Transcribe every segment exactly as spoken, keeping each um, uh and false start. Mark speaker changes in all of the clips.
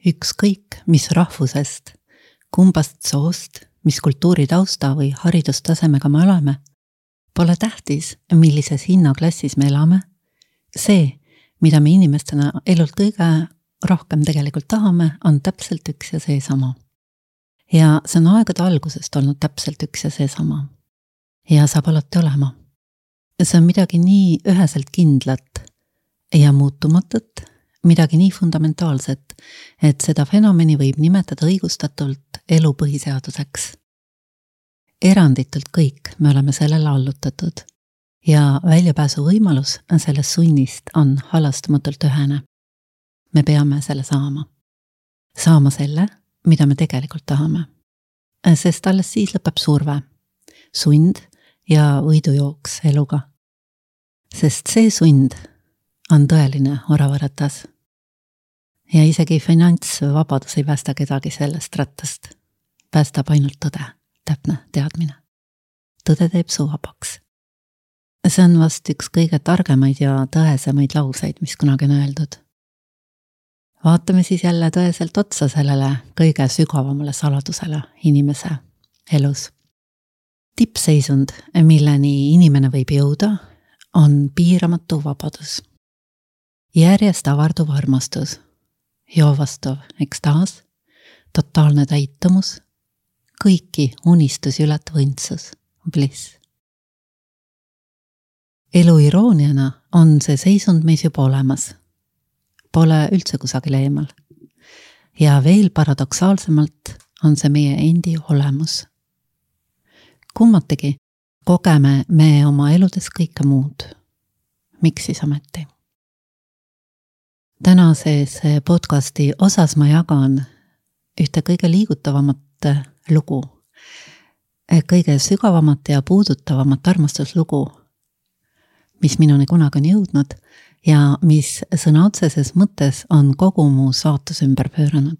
Speaker 1: ükskõik, mis rahvusest, kumbast soost, mis kultuuritausta või haridustasemega me oleme, pole tähtis, millises hinnaklassis me elame. See, mida me inimestena elult kõige rohkem tegelikult tahame, on täpselt üks ja see sama. Ja see on aegade algusest olnud täpselt üks ja see sama. Ja saab alati olema. See on midagi nii üheselt kindlat ja muutumatut, midagi nii fundamentaalset, et seda fenomeni võib nimetada õigustatult elu põhiseaduseks. Eranditult kõik me oleme sellele allutatud ja väljapääsu võimalus sellest sunnist on halastamatult ühene. Me peame selle saama. Saama selle, mida me tegelikult tahame. Sest alles siis lõpeb surve, sund ja võidujooks eluga. Sest see sund on tõeline oravaratas. Ja isegi finantsvabadus ei päästa kedagi sellest rattast. Päästab ainult tõde, täpne teadmine. Tõde teeb su vabaks. See on vast üks kõige targemaid ja tõesemaid lauseid, mis kunagi on öeldud. Vaatame siis jälle tõeselt otsa sellele kõige sügavamale saladusele inimese elus. Tippseisund, milleni inimene võib jõuda, on piiramatu vabadus. Järjest avarduv armastus, joovastuv ekstaas, totaalne täitumus, kõiki unistusi ületav õndsus, bliss. Elu irooniana on see seisund meis juba olemas. Pole üldse kusagil eemal. Ja veel paradoksaalsemalt on see meie endi olemus. Kummategi kogeme me oma eludes kõike muud. Miks siis ameti? Tänases podcasti osas ma jagan ühte kõige liigutavamat lugu, kõige sügavamat ja puudutavamat armastuslugu, mis minuni kunagi on jõudnud ja mis sõna otseses mõttes on kogu mu saatus ümber pööranud.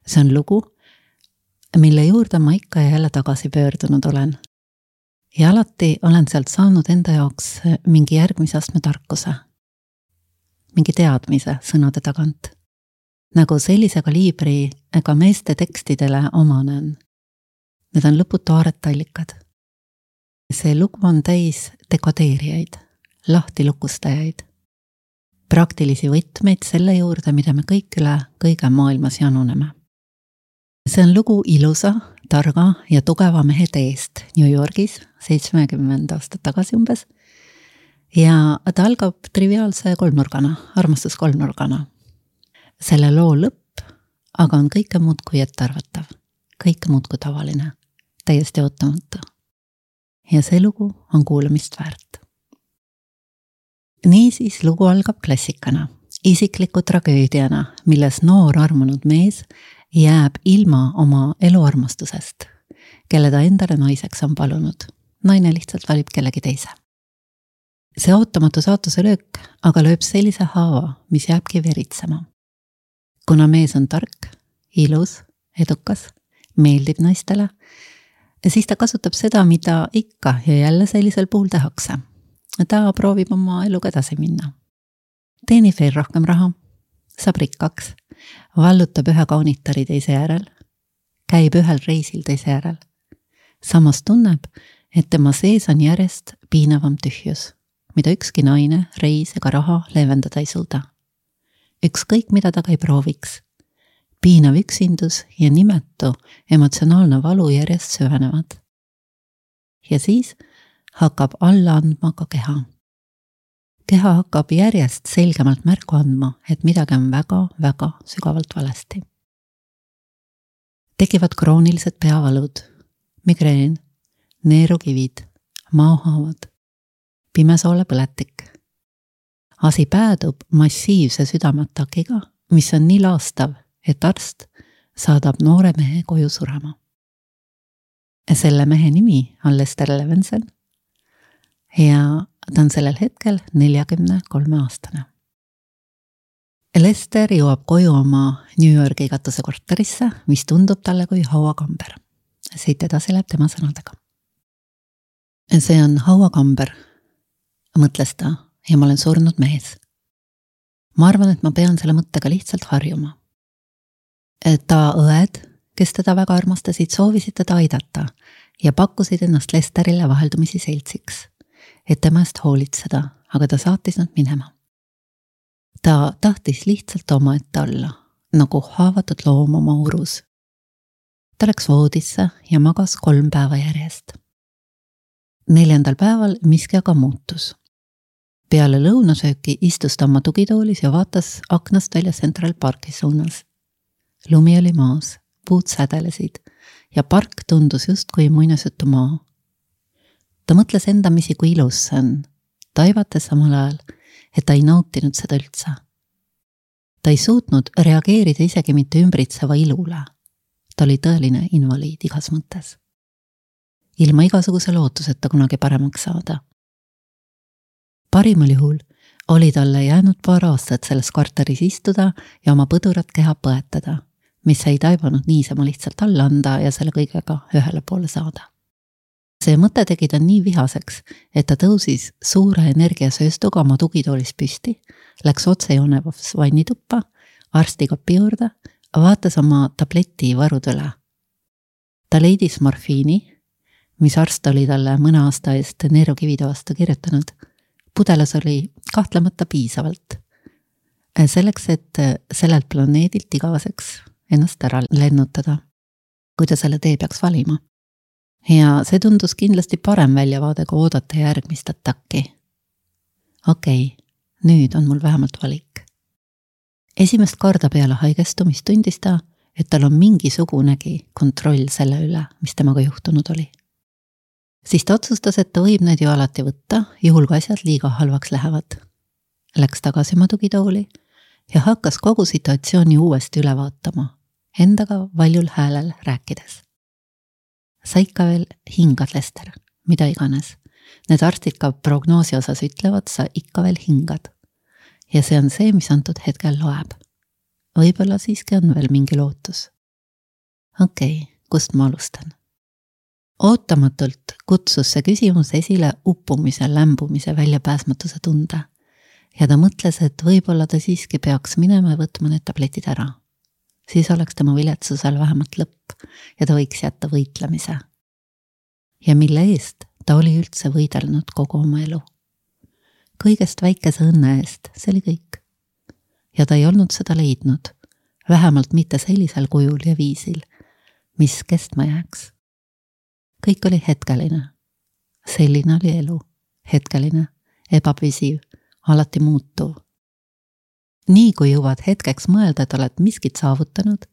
Speaker 1: See on lugu, mille juurde ma ikka ja jälle tagasi pöördunud olen. Ja alati olen sealt saanud enda jaoks mingi järgmise astme tarkuse, mingi teadmise sõnade tagant. Nagu sellise kaliibri ega meeste tekstidele omanen. Need on lõputu aaretallikad. See lugu on täis dekodeerijaid, lahtilukustajaid, praktilisi võtmeid selle juurde, mida me kõik üle kõige maailmas januneme. See on lugu ilusa, targa ja tugeva mehe teest New Yorgis seitsmekümmend aastat tagasi umbes ja ta algab triviaalse kolmnurgana, armastus kolmnurgana. Selle loo lõpp aga on kõike muud kui ettearvatav, kõike muud kui tavaline, täiesti ootamatu. Ja see lugu on kuulamist väärt. Niisiis lugu algab klassikana, isikliku tragöödiana, milles noor armunud mees jääb ilma oma eluarmastusest, kelle ta endale naiseks on palunud. Naine lihtsalt valib kellegi teise. See ootamatu saatuse löök aga lööb sellise haava, mis jääbki veritsema. Kuna mees on tark, ilus, edukas, meeldib naistele, siis ta kasutab seda, mida ikka ja jälle sellisel puhul tehakse. Ta proovib oma eluga edasi minna. Teenib veel rohkem raha, saab rikkaks, vallutab ühe kaunitari teise järel, käib ühel reisil teise järel. Samas tunneb, et tema sees on järjest piinavam tühjus, mida ükski naine, reis ega raha leevendada ei suuda. Ükskõik, mida ta ka ei prooviks. Piinav üksindus ja nimetu emotsionaalne valu järjest süvenevad. Ja siis hakkab alla andma ka keha. Keha hakkab järjest selgemalt märku andma, et midagi on väga-väga sügavalt valesti. Tekivad kroonilised peavalud, migreen, neerukivid, maohaavad, pimesoole põletik. Asi päädub massiivse südameatakiga, mis on nii laastav, et arst saadab noore mehe koju surema. Selle mehe nimi on Lester Levinson ja ta on sellel hetkel neljakümne kolme aastane. Lester jõuab koju oma New Yorgi katuse korterisse, mis tundub talle kui hauakamber. Siit edasi läheb tema sõnadega. See on hauakamber, mõtles ta, ja ma olen surnud mees. Ma arvan, et ma pean selle mõttega lihtsalt harjuma. Ta õed, kes teda väga armastasid, soovisid teda aidata ja pakkusid ennast Lesterile vaheldumisi seltsiks, et tema eest hoolitseda, aga ta saatis nad minema. Ta tahtis lihtsalt omaette olla, nagu haavatud loom oma urus. Ta läks voodisse ja magas kolm päeva järjest. Neljandal päeval miski aga muutus. Peale lõunasööki istus ta oma tugitoolis ja vaatas aknast välja Central Parki suunas. Lumi oli maas, puud sädelesid ja park tundus justkui muinasjutu maa. Ta mõtles endamisi, kui ilus see on, taivates samal ajal, et ta ei nautinud seda üldse. Ta ei suutnud reageerida isegi mitte ümbritseva ilule. Ta oli tõeline invaliid igas mõttes. Ilma igasuguse lootuseta kunagi paremaks saada. Parimal juhul oli talle jäänud paar aastat selles kvartalis istuda ja oma põdurat keha põetada, mis ei taibanud niisama lihtsalt alla anda ja selle kõigega ühele poole saada. See mõte tegi ta nii vihaseks, et ta tõusis suure energiasööstuga oma tugitoolis püsti, läks otse joonevas vannituppa, arstikapi juurde, vaatas oma tableti varud üle. Ta leidis morfiini, mis arst oli talle mõne aasta eest neerukivide vastu kirjutanud. Pudelas oli kahtlemata piisavalt. Selleks, et sellelt planeedilt igaveseks ennast ära lennutada, kui ta selle tee peaks valima. Ja see tundus kindlasti parem väljavaade, kui oodata järgmist attakki. Okei, nüüd on mul vähemalt valik. Esimest korda peale haigestumist tundis ta, et tal on mingisugunegi kontroll selle üle, mis temaga juhtunud oli. Siis ta otsustas, et ta võib need ju alati võtta, juhul kui asjad liiga halvaks lähevad. Läks tagasi oma tugitooli ja hakkas kogu situatsiooni uuesti üle vaatama, endaga valjul häälel rääkides. Sa ikka veel hingad, Lester, mida iganes. Need arstid ka prognoosi osas ütlevad, sa ikka veel hingad. Ja see on see, mis antud hetkel loeb. Võib-olla siiski on veel mingi lootus. Okei, kust ma alustan? Ootamatult kutsus see küsimus esile uppumise, lämbumise, väljapääsmatuse tunde. Ja ta mõtles, et võib-olla ta siiski peaks minema ja võtma need tabletid ära. Siis oleks tema viletsusel vähemalt lõpp ja ta võiks jätta võitlemise. Ja mille eest ta oli üldse võidelnud kogu oma elu. Kõigest väikese õnne eest, see oli kõik. Ja ta ei olnud seda leidnud, vähemalt mitte sellisel kujul ja viisil, mis kestma jääks. Kõik oli hetkeline. Selline oli elu, hetkeline, ebapüsiv, alati muutuv. Nii kui jõuad hetkeks mõelda, et oled miskit saavutanud,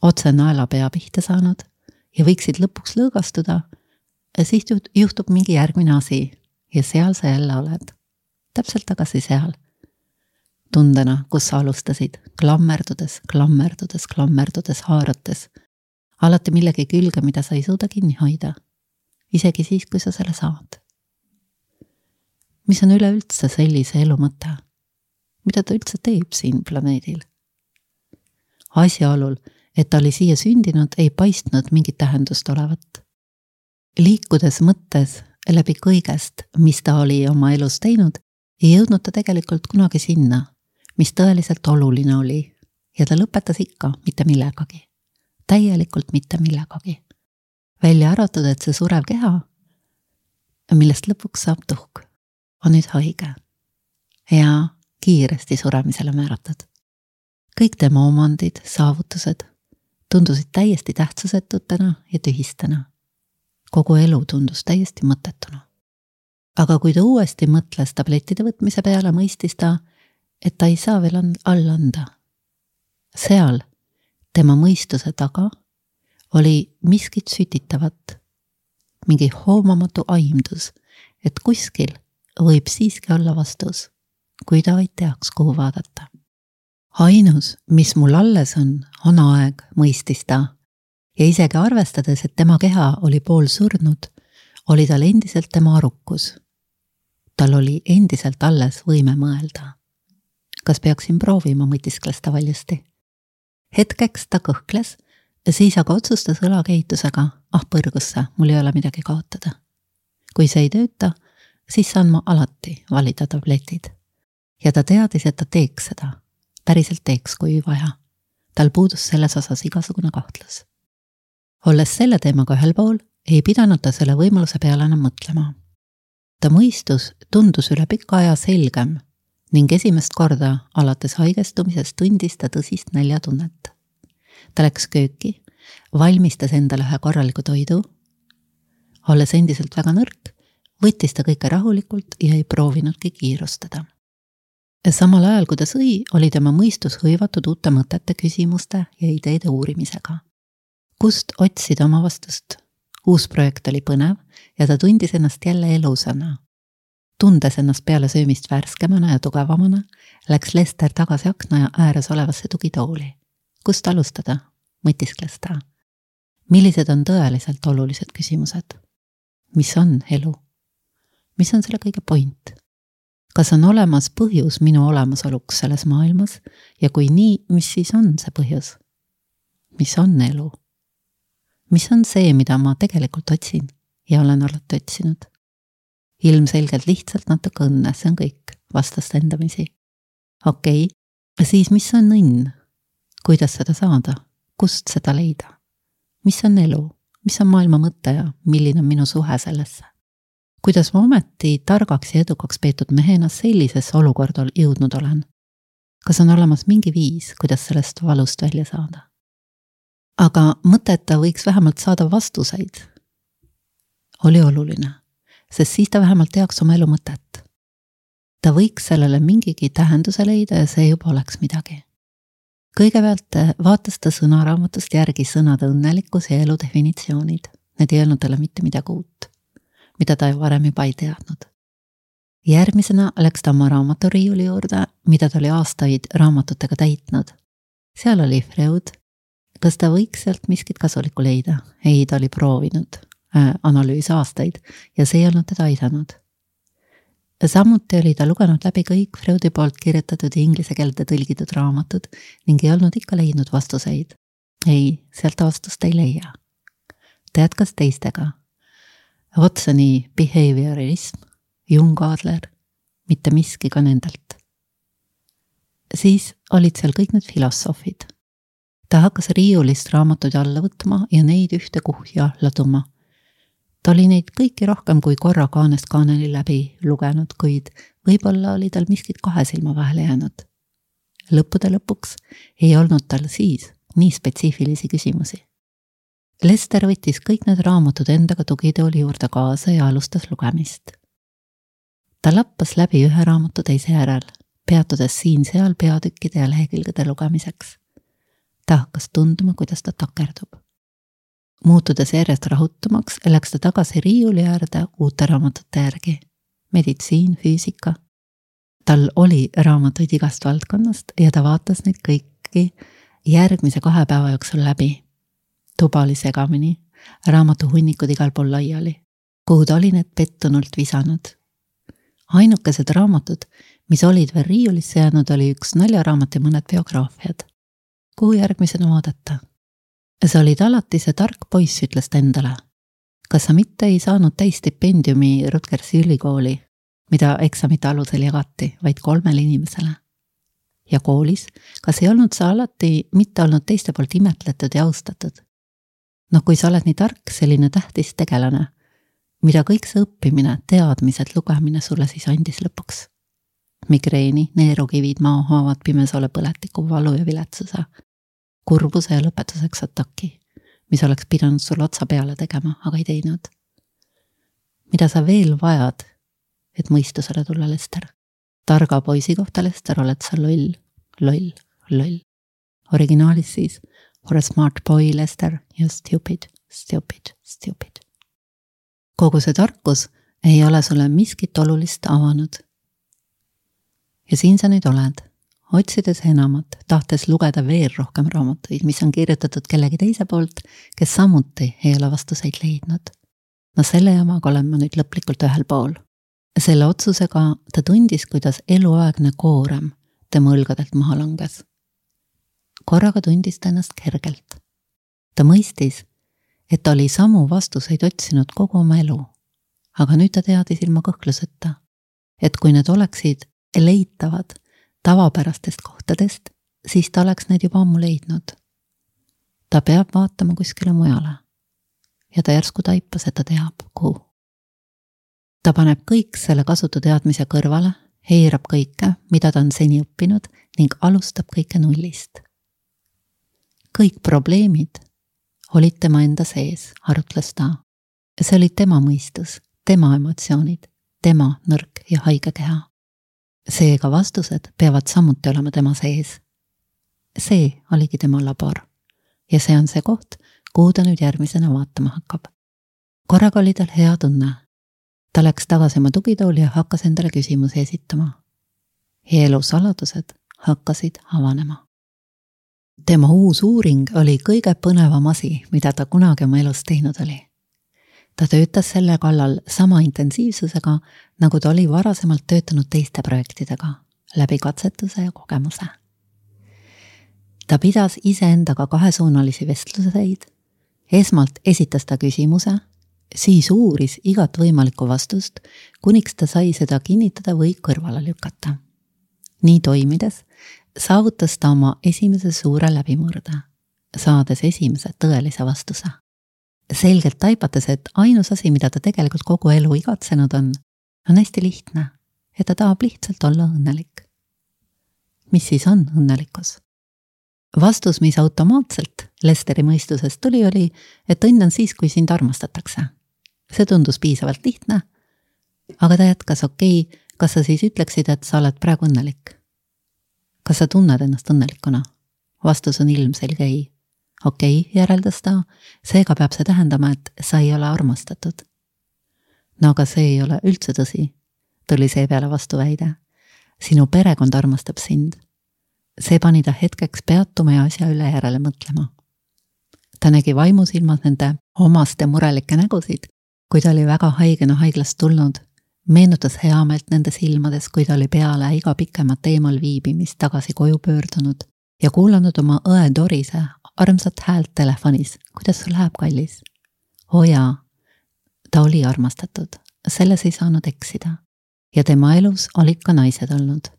Speaker 1: otse naela pea pihta saanud ja võiksid lõpuks lõõgastuda, siis juhtub mingi järgmine asi ja seal sa jälle oled. Täpselt tagasi seal. Tundena, kus sa alustasid, klammerdudes, klammerdudes, klammerdudes, haarates. Alati millegi külge, mida sa ei suuda kinni hoida. Isegi siis, kui sa selle saad. Mis on üleüldse sellise elu mõte? Mida ta üldse teeb siin planeedil? Asjaolul, et ta oli siia sündinud, ei paistnud mingit tähendust olevat. Liikudes mõttes läbi kõigest, mis ta oli oma elus teinud, ei jõudnud ta tegelikult kunagi sinna, mis tõeliselt oluline oli, ja ta lõpetas ikka mitte millegagi. Täielikult mitte millegagi. Välja arvatud, et see surev keha, millest lõpuks saab tuhk, on nüüd haige. Ja kiiresti suremisele määratud. Kõik tema omandid, saavutused tundusid täiesti tähtsusetutena ja tühistena. Kogu elu tundus täiesti mõttetuna. Aga kui ta uuesti mõtles tablettide võtmise peale, mõistis ta, et ta ei saa veel all anda. Seal tema mõistuse taga oli miskit sütitavat, mingi hoomamatu aimdus, et kuskil võib siiski olla vastus, kui ta vaid teaks, kuhu vaadata. Ainus, mis mul alles on, on aeg, mõistis ta, ja isegi arvestades, et tema keha oli pool surnud, oli tal endiselt tema arukus. Tal oli endiselt alles võime mõelda. Kas peaksin proovima, mõtiskles ta valjusti. Hetkeks ta kõhkles, siis aga otsustas õlakehitusega, ah põrgusse, mul ei ole midagi kaotada. Kui see ei tööta, siis saan ma alati valida tabletid. Ja ta teadis, et ta teeks seda. Päriselt teeks, kui vaja. tal puudus selles osas igasugune kahtlus. Olles selle teemaga ühel pool, ei pidanud ta selle võimaluse peale enam mõtlema. Ta mõistus tundus üle pika aja selgem ning esimest korda alates haigestumisest tundis ta tõsist näljatunnet. Ta läks kööki, valmistas endale ühe korraliku toidu, olles endiselt väga nõrk, võttis ta kõike rahulikult ja ei proovinudki kiirustada. Samal ajal, kui ta sõi, oli tema mõistus hõivatud uute mõtete, küsimuste ja ideede uurimisega. Kust otsida oma vastust? Uus projekt oli põnev ja ta tundis ennast jälle elusana. Tundes ennast peale söömist värskemana ja tugevamana, läks Lester tagasi akna ääres olevasse tugitooli. Kust alustada? Mõtiskles ta. Millised on tõeliselt olulised küsimused? Mis on elu? Mis on selle kõige point? Kas on olemas põhjus minu olemasoluks selles maailmas ja kui nii, mis siis on see põhjus? Mis on elu? Mis on see, mida ma tegelikult otsin ja olen alati otsinud? Ilmselgelt lihtsalt natuke õnne, see on kõik, vastas ta endamisi. Okei, siis mis on õnn? Kuidas seda saada? Kust seda leida? Mis on elu? Mis on maailma mõte ja milline on minu suhe sellesse? Kuidas ma ometi targaks ja edukaks peetud mehena sellises olukorda jõudnud olen? Kas on olemas mingi viis, kuidas sellest valust välja saada? Aga mõteta võiks vähemalt saada vastuseid. Oli oluline, sest siis ta vähemalt teaks oma elu mõtet. Ta võiks sellele mingigi tähenduse leida ja see juba oleks midagi. Kõigepealt vaatas ta sõnaraamatust järgi sõnade õnnelikkus ja elu definitsioonid. Need ei olnud talle mitte midagi uut, mida ta varem juba ei teadnud. Järgmisena läks ta oma raamaturiiuli juurde, mida ta oli aastaid raamatutega täitnud. Seal oli Freud. Kas ta võiks sealt miskit kasulikku leida? Ei, ta oli proovinud äh, analüüs aastaid ja see ei olnud teda aidanud. Samuti oli ta lugenud läbi kõik Freudi poolt kirjutatud inglise keelde tõlgitud raamatud ning ei olnud ikka leidnud vastuseid. Ei, sealt vastust ei leia. Ta jätkas teistega. Watsoni behaviorism, Jung Adler, mitte miski ka nendelt. Siis olid seal kõik need filosoofid. Ta hakkas riiulist raamatuid alla võtma ja neid ühte kuhja laduma. Ta oli neid kõiki rohkem kui korra kaanest kaaneni läbi lugenud, kuid võib-olla oli tal miskit kahe silma vahele jäänud. Lõppude lõpuks ei olnud tal siis nii spetsiifilisi küsimusi. Lester võttis kõik need raamatud endaga tugitooli juurde kaasa ja alustas lugemist. Ta lappas läbi ühe raamatu teise järel, peatudes siin-seal peatükkide ja lehekülgede lugemiseks. Ta hakkas tunduma, kuidas ta takerdub. Muutudes järjest rahutumaks, läks ta tagasi riiuli äärde uute raamatute järgi. Meditsiin, füüsika. Tal oli raamatuid igast valdkonnast ja ta vaatas neid kõiki järgmise kahe päeva jooksul läbi. Tuba oli segamini, raamatuhunnikud igal pool laiali, kuhu ta oli need pettunult visanud. Ainukesed raamatud, mis olid veel riiulisse jäänud, oli üks naljaraamat ja mõned biograafiad. Kuhu järgmisena vaadata? Sa olid alati see tark poiss, ütles ta endale. Kas sa mitte ei saanud täistipendiumi Rutgersi ülikooli, mida eksamite alusel jagati, vaid kolmele inimesele? Ja koolis, kas ei olnud sa alati mitte olnud teiste poolt imetletud ja austatud? No kui sa oled nii tark, selline tähtis tegelane, mida kõik see õppimine, teadmised, lugemine sulle siis andis lõpuks? Migreeni, neerukivid, maohaavad, pimesole põletiku, valu ja viletsuse, kurbuse ja lõpetuseks ataki, mis oleks pidanud sul otsa peale tegema, aga ei teinud. Mida sa veel vajad, et mõistusele tulla, Lester? Targa poisi kohta, Lester, oled sa loll, loll, loll. Originaalis siis, for a smart boy, Lester, you're stupid, stupid, stupid. Kogu see tarkus ei ole sulle miskit olulist avanud. Ja siin sa nüüd oled. Otsides enamat, tahtes lugeda veel rohkem raamatuid, mis on kirjutatud kellegi teise poolt, kes samuti ei ole vastuseid leidnud. No selle jamaga olen ma nüüd lõplikult ühel pool. Selle otsusega ta tundis, kuidas eluaegne koorem tema õlgadelt maha langes. Korraga tundis ta ennast kergelt. Ta mõistis, et ta oli samu vastuseid otsinud kogu oma elu, aga nüüd ta teadis ilma kõhkluseta, et kui need oleksid leitavad tavapärastest kohtadest, siis ta oleks need juba ammu leidnud. Ta peab vaatama kuskile mujale. Ja ta järsku taipas, et ta teab, kuhu. Ta paneb kõik selle kasutu teadmise kõrvale, heirab kõike, mida ta on seni õppinud ning alustab kõike nullist. Kõik probleemid olid tema enda sees, arutles ta. See oli tema mõistus, tema emotsioonid, tema nõrk ja haige keha. Seega vastused peavad samuti olema tema sees. See oligi tema labor ja see on see koht, kuhu ta nüüd järgmisena vaatama hakkab. Korraga oli tal hea tunne. Ta läks tagasi oma tugitooli ja hakkas endale küsimusi esitama. Ja elu saladused hakkasid avanema. Tema uus uuring oli kõige põnevam asi, mida ta kunagi oma elus teinud oli. Ta töötas selle kallal sama intensiivsusega, nagu ta oli varasemalt töötanud teiste projektidega, läbi katsetuse ja kogemuse. Ta pidas iseendaga kahesuunalisi vestluseid, esmalt esitas ta küsimuse, siis uuris igat võimalikku vastust, kuniks ta sai seda kinnitada või kõrvale lükata. Nii toimides saavutas ta oma esimese suure läbimurde, saades esimese tõelise vastuse. Selgelt taipates, et ainus asi, mida ta tegelikult kogu elu igatsenud on, on hästi lihtne, et ta tahab lihtsalt olla õnnelik. Mis siis on õnnelikkus? Vastus, mis automaatselt Lesteri mõistusest tuli, oli, et õnn on siis, kui sind armastatakse. See tundus piisavalt lihtne, aga ta jätkas, okei, kas sa siis ütleksid, et sa oled praegu õnnelik? Kas sa tunned ennast õnnelikuna? Vastus on ilmselge ei. Okei, järeldas ta, seega peab see tähendama, et sa ei ole armastatud. No aga see ei ole üldse tõsi, tuli see peale vastu väide. Sinu perekond armastab sind. See pani ta hetkeks peatuma ja asja üle järele mõtlema. Ta nägi vaimusilmas nende omaste murelikke nägusid, kui ta oli väga haigena haiglast tulnud, meenutas heameelt nende silmades, kui ta oli peale iga pikemat eemal viibimist tagasi koju pöördunud ja kuulanud oma õe Dorise armsat häält telefonis. Kuidas sul läheb, kallis? Oo jaa, ta oli armastatud, selles ei saanud eksida. Ja tema elus olid ka naised olnud.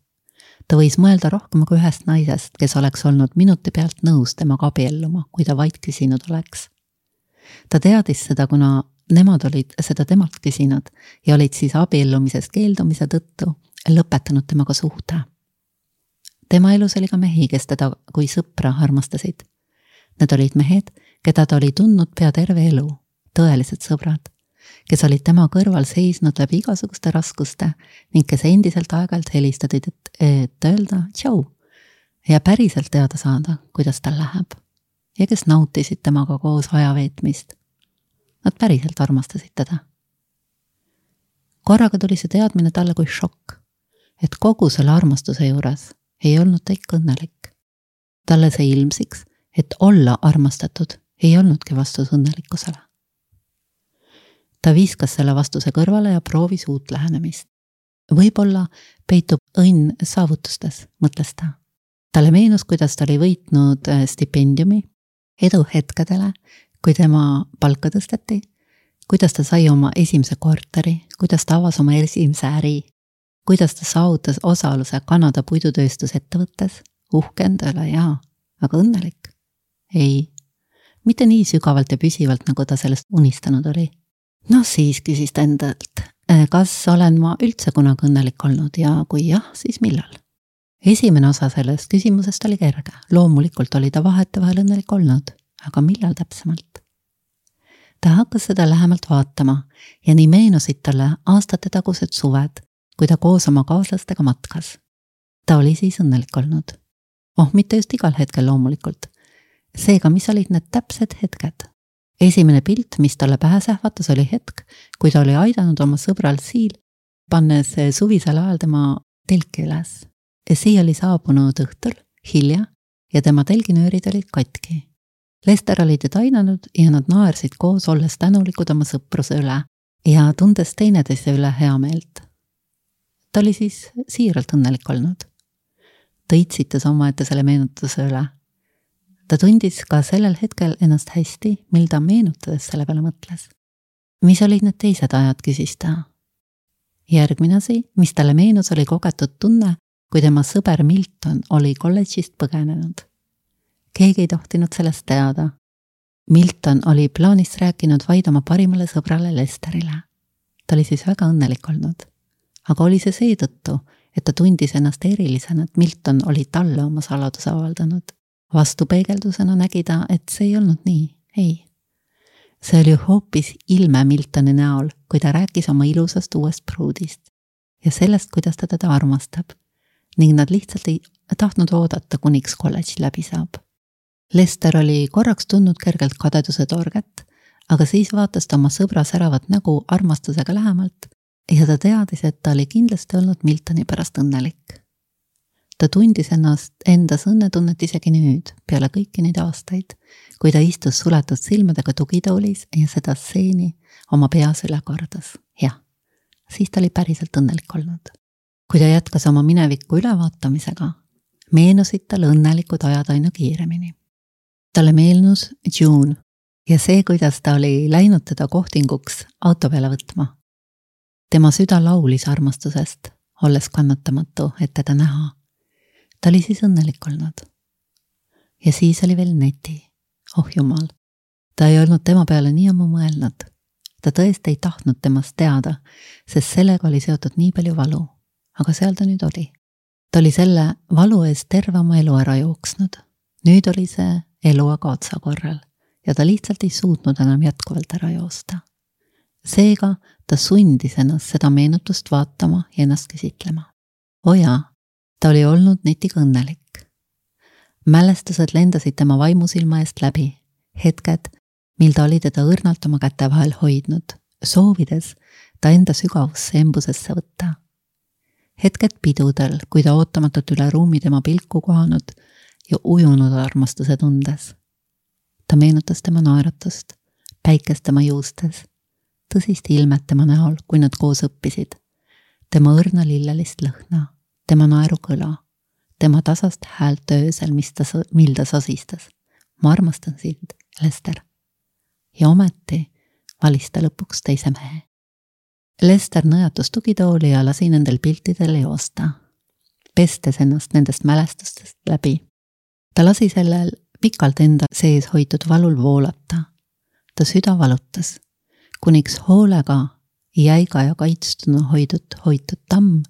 Speaker 1: Ta võis mõelda rohkem kui ühest naisest, kes oleks olnud minuti pealt nõus temaga abielluma, kui ta vaid küsinud oleks. Ta teadis seda, kuna nemad olid seda temalt küsinud ja olid siis abiellumisest keeldumise tõttu lõpetanud temaga suhte. Tema elus oli ka mehi, kes teda kui sõpra armastasid. Need olid mehed, keda ta oli tundnud pea terve elu, tõelised sõbrad, kes olid tema kõrval seisnud läbi igasuguste raskuste ning kes endiselt aeg-ajalt helistasid, et, et öelda tšau ja päriselt teada saada, kuidas tal läheb ja kes nautisid temaga koos ajaveetmist. Nad päriselt armastasid teda. Korraga tuli see teadmine talle kui šokk, et kogu selle armastuse juures ei olnud ta ikka õnnelik. Talle see ilmsiks, et olla armastatud ei olnudki vastus õnnelikkusele. Ta viskas selle vastuse kõrvale ja proovis uut lähenemist. Võib-olla peitub õnn saavutustes, mõtles ta. Talle meenus, kuidas ta oli võitnud stipendiumi edu hetkedele, kui tema palka tõsteti, kuidas ta sai oma esimese korteri, kuidas ta avas oma esimese äri, kuidas ta saavutas osaluse Kanada puidutööstusettevõttes, uhke endale ja aga õnnelik. Ei, mitte nii sügavalt ja püsivalt, nagu ta sellest unistanud oli. No siis küsis ta endalt, kas olen ma üldse kunagi õnnelik olnud ja kui jah, siis millal? Esimene osa sellest küsimusest oli kerge. Loomulikult oli ta vahetevahel õnnelik olnud, aga millal täpsemalt? Ta hakkas seda lähemalt vaatama ja nii meenusid talle aastate tagused suved, kui ta koos oma kaaslastega matkas. Ta oli siis õnnelik olnud. Oh, mitte just igal hetkel loomulikult. Seega, mis olid need täpsed hetked? Esimene pilt, mis talle pähe sähvatas, oli hetk, kui ta oli aidanud oma sõbral Siil, pannes suvisel ajal tema telki üles. Siia oli saabunud õhtul, hilja, ja tema telginöörid olid katki. Lester oli teda aidanud ja nad naersid koos, olles tänulikud oma sõpruse üle ja tundes teineteise üle hea meelt. Ta oli siis siiralt õnnelik olnud. Ta itsitas omaette selle meenutuse üle. Ta tundis ka sellel hetkel ennast hästi, mil ta meenutades selle peale mõtles. Mis olid need teised ajad, küsis ta. Järgmine asi, mis talle meenus, oli kogetud tunne, kui tema sõber Milton oli kolledžist põgenenud. Keegi ei tohtinud sellest teada. Milton oli plaanist rääkinud vaid oma parimale sõbrale Lesterile. Ta oli siis väga õnnelik olnud. Aga oli see seetõttu, et ta tundis ennast erilisena, et Milton oli talle oma saladuse avaldanud. Vastupeegeldusena nägi ta, et see ei olnud nii. Ei. See oli hoopis ilme Miltoni näol, kui ta rääkis oma ilusast uuest pruudist ja sellest, kuidas ta teda armastab, ning nad lihtsalt ei tahtnud oodata, kuniks kolledž läbi saab. Lester oli korraks tundnud kergelt kadeduse torget, aga siis vaatas ta oma sõbra säravat nägu armastusega lähemalt ja ta teadis, et ta oli kindlasti olnud Miltoni pärast õnnelik. Ta tundis ennast endas õnnetunnet isegi nüüd, peale kõiki neid aastaid, kui ta istus suletud silmadega tugitoolis ja seda stseeni oma peas üle kordas. Jah, siis ta oli päriselt õnnelik olnud. Kui ta jätkas oma mineviku ülevaatamisega, meenusid tal õnnelikud ajad aina kiiremini. Talle meenus June ja see, kuidas ta oli läinud teda kohtinguks auto peale võtma. Tema süda laulis armastusest, olles kannatamatu, et teda näha. Ta oli siis õnnelik olnud. Ja siis oli veel neti. Oh jumal, ta ei olnud tema peale nii ammu mõelnud. Ta tõesti ei tahtnud temast teada, sest sellega oli seotud nii palju valu. Aga seal ta nüüd oli. Ta oli selle valu eest terve oma elu ära jooksnud. Nüüd oli see elu aga otsa korral ja ta lihtsalt ei suutnud enam jätkuvalt ära joosta. Seega ta sundis ennast seda meenutust vaatama ja ennast käsitlema. O jaa, ta oli olnud netiga õnnelik. Mälestused lendasid tema vaimusilma eest läbi, hetked, mil ta oli teda õrnalt oma käte vahel hoidnud, soovides ta enda sügavusse embusesse võtta. Hetked pidudel, kui ta ootamatult üle ruumi tema pilku kohanud ja ujunud armastuse tundes. Ta meenutas tema naeratust, päikest tema juustes, tõsist ilmet tema näol, kui nad koos õppisid, tema õrna lillelist lõhna, tema naeru kõla, tema tasast häält öösel, mis ta, mil ta sasistas. Ma armastan sind, Lester. Ja ometi valis ta lõpuks teise mehe. Lester nõjatus tugitooli ja lasi nendel piltidel joosta, pestes ennast nendest mälestustest läbi. Ta lasi sellel pikalt enda sees hoitud valul voolata. Ta süda valutas, kuniks hoolega jäiga ja kaitstuna hoidud, hoitud tamm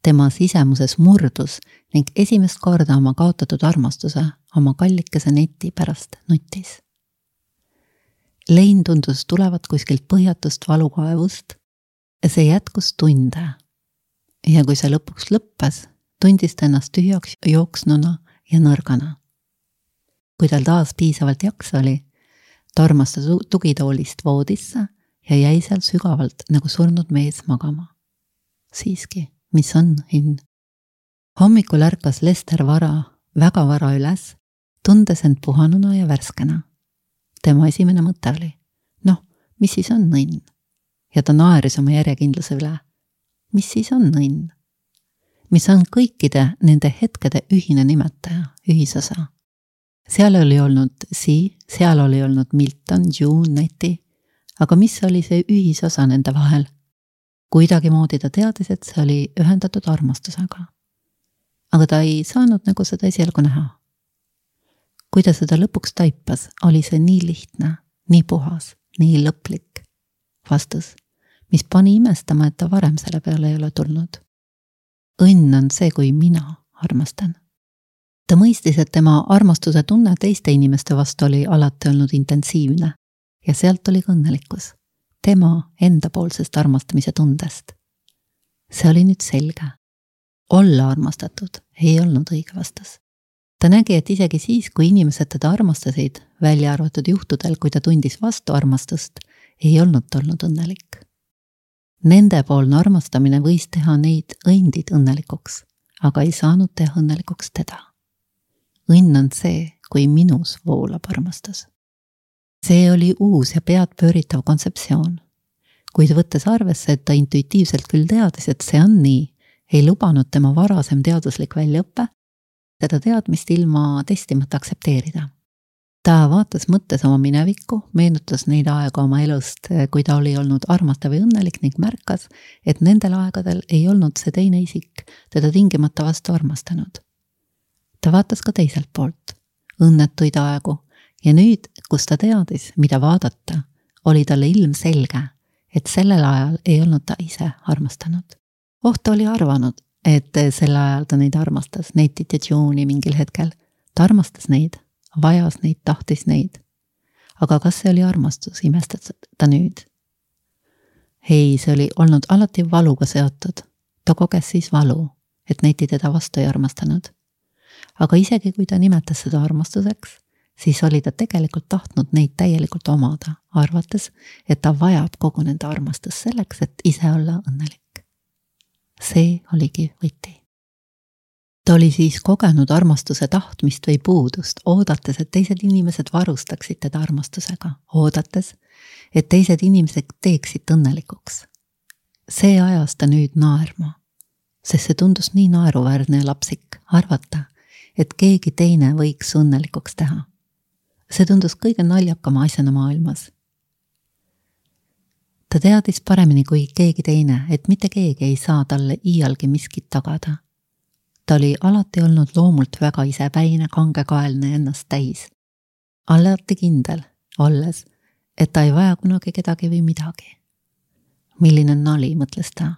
Speaker 1: tema sisemuses murdus ning esimest korda oma kaotatud armastuse oma kallikese neti pärast nutis. Lein tundus tulevat kuskilt põhjatust valukaevust ja see jätkus tunde. Ja kui see lõpuks lõppes, tundis ta ennast tühjaks jooksnuna ja nõrgana. Kui tal taas piisavalt jaksa oli, tormas ta tugitoolist voodisse ja jäi seal sügavalt nagu surnud mees magama. Siiski, mis on hinn? Hommikul ärkas Lester vara, väga vara üles, tundes end puhanuna ja värskena. Tema esimene mõte oli, noh, mis siis on õnn? Ja ta naeris oma järjekindluse üle. Mis siis on õnn? Mis on kõikide nende hetkede ühine nimetaja, ühisosa? Seal oli olnud Si, seal oli olnud Milton, June, Neti, aga mis oli see ühisosa nende vahel? Kuidagi moodi ta teadis, et see oli ühendatud armastusega. Aga ta ei saanud nagu seda esialgu näha. Kui ta seda lõpuks taipas, oli see nii lihtne, nii puhas, nii lõplik. Vastus, mis pani imestama, et ta varem selle peale ei ole tulnud. Õnn on see, kui mina armastan. Ta mõistis, et tema armastuse tunne teiste inimeste vastu oli alati olnud intensiivne ja sealt oli ka õnnelikkus, tema endapoolsest armastamise tundest. See oli nüüd selge. Olla armastatud ei olnud õige vastus. Ta nägi, et isegi siis, kui inimesed teda armastasid, välja arvatud juhtudel, kui ta tundis vastu armastust, ei olnud ta olnud õnnelik. Nendepoolne armastamine võis teha neid õndid õnnelikuks, aga ei saanud teha õnnelikuks teda. Õnn on see, kui minus voolab armastus. See oli uus ja pead pööritav kontseptsioon. Kuid võttes arvesse, et ta intuitiivselt küll teadis, et see on nii, ei lubanud tema varasem teaduslik väljaõppe seda teadmist ilma testimata aktsepteerida. Ta vaatas mõttes oma minevikku, meenutas neid aega oma elust, kui ta oli olnud armastav ja õnnelik ning märkas, et nendel aegadel ei olnud see teine isik teda tingimata vastu armastanud. Ta vaatas ka teiselt poolt, õnnetuid aegu, ja nüüd, kus ta teadis, mida vaadata, oli talle ilmselge, et sellel ajal ei olnud ta ise armastanud. Oh, ta oli arvanud, et sel ajal ta neid armastas, Netit ja June'i mingil hetkel. Ta armastas neid, vajas neid, tahtis neid. Aga kas see oli armastus, imestad ta nüüd? Ei, see oli olnud alati valuga seotud. Ta koges siis valu, et Neti teda vastu ei armastanud. Aga isegi kui ta nimetas seda armastuseks, siis oli ta tegelikult tahtnud neid täielikult omada, arvates, et ta vajab kogu nende armastust selleks, et ise olla õnnelik. See oligi võti. Ta oli siis kogenud armastuse tahtmist või puudust, oodates, et teised inimesed varustaksid teda armastusega, oodates, et teised inimesed teeksid õnnelikuks. See ajas ta nüüd naerma, sest see tundus nii naeruväärne ja lapsik arvata, et keegi teine võiks õnnelikuks teha. See tundus kõige naljakama asjana maailmas. Ta teadis paremini kui keegi teine, et mitte keegi ei saa talle iialgi miskit tagada. Ta oli alati olnud loomult väga isepäine, kangekaelne ennast täis. Alati kindel, olles, et ta ei vaja kunagi kedagi või midagi. Milline nali, mõtles ta.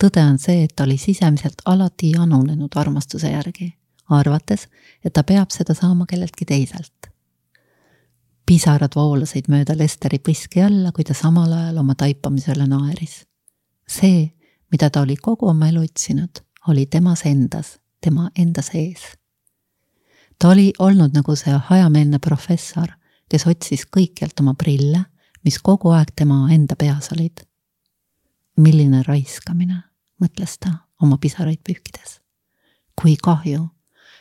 Speaker 1: Tõde on see, et ta oli sisemiselt alati janunenud armastuse järgi, arvates, et ta peab seda saama kelleltki teiselt. Pisarad voolasid mööda Lesteri piski alla, kui ta samal ajal oma taipamisele naeris. See, mida ta oli kogu oma elu otsinud, oli temas endas, tema enda sees. Ta oli olnud nagu see hajameelne professor, kes otsis kõikjalt oma prille, mis kogu aeg tema enda peas olid. Milline raiskamine, mõtles ta oma pisaraid pühkides. Kui kahju,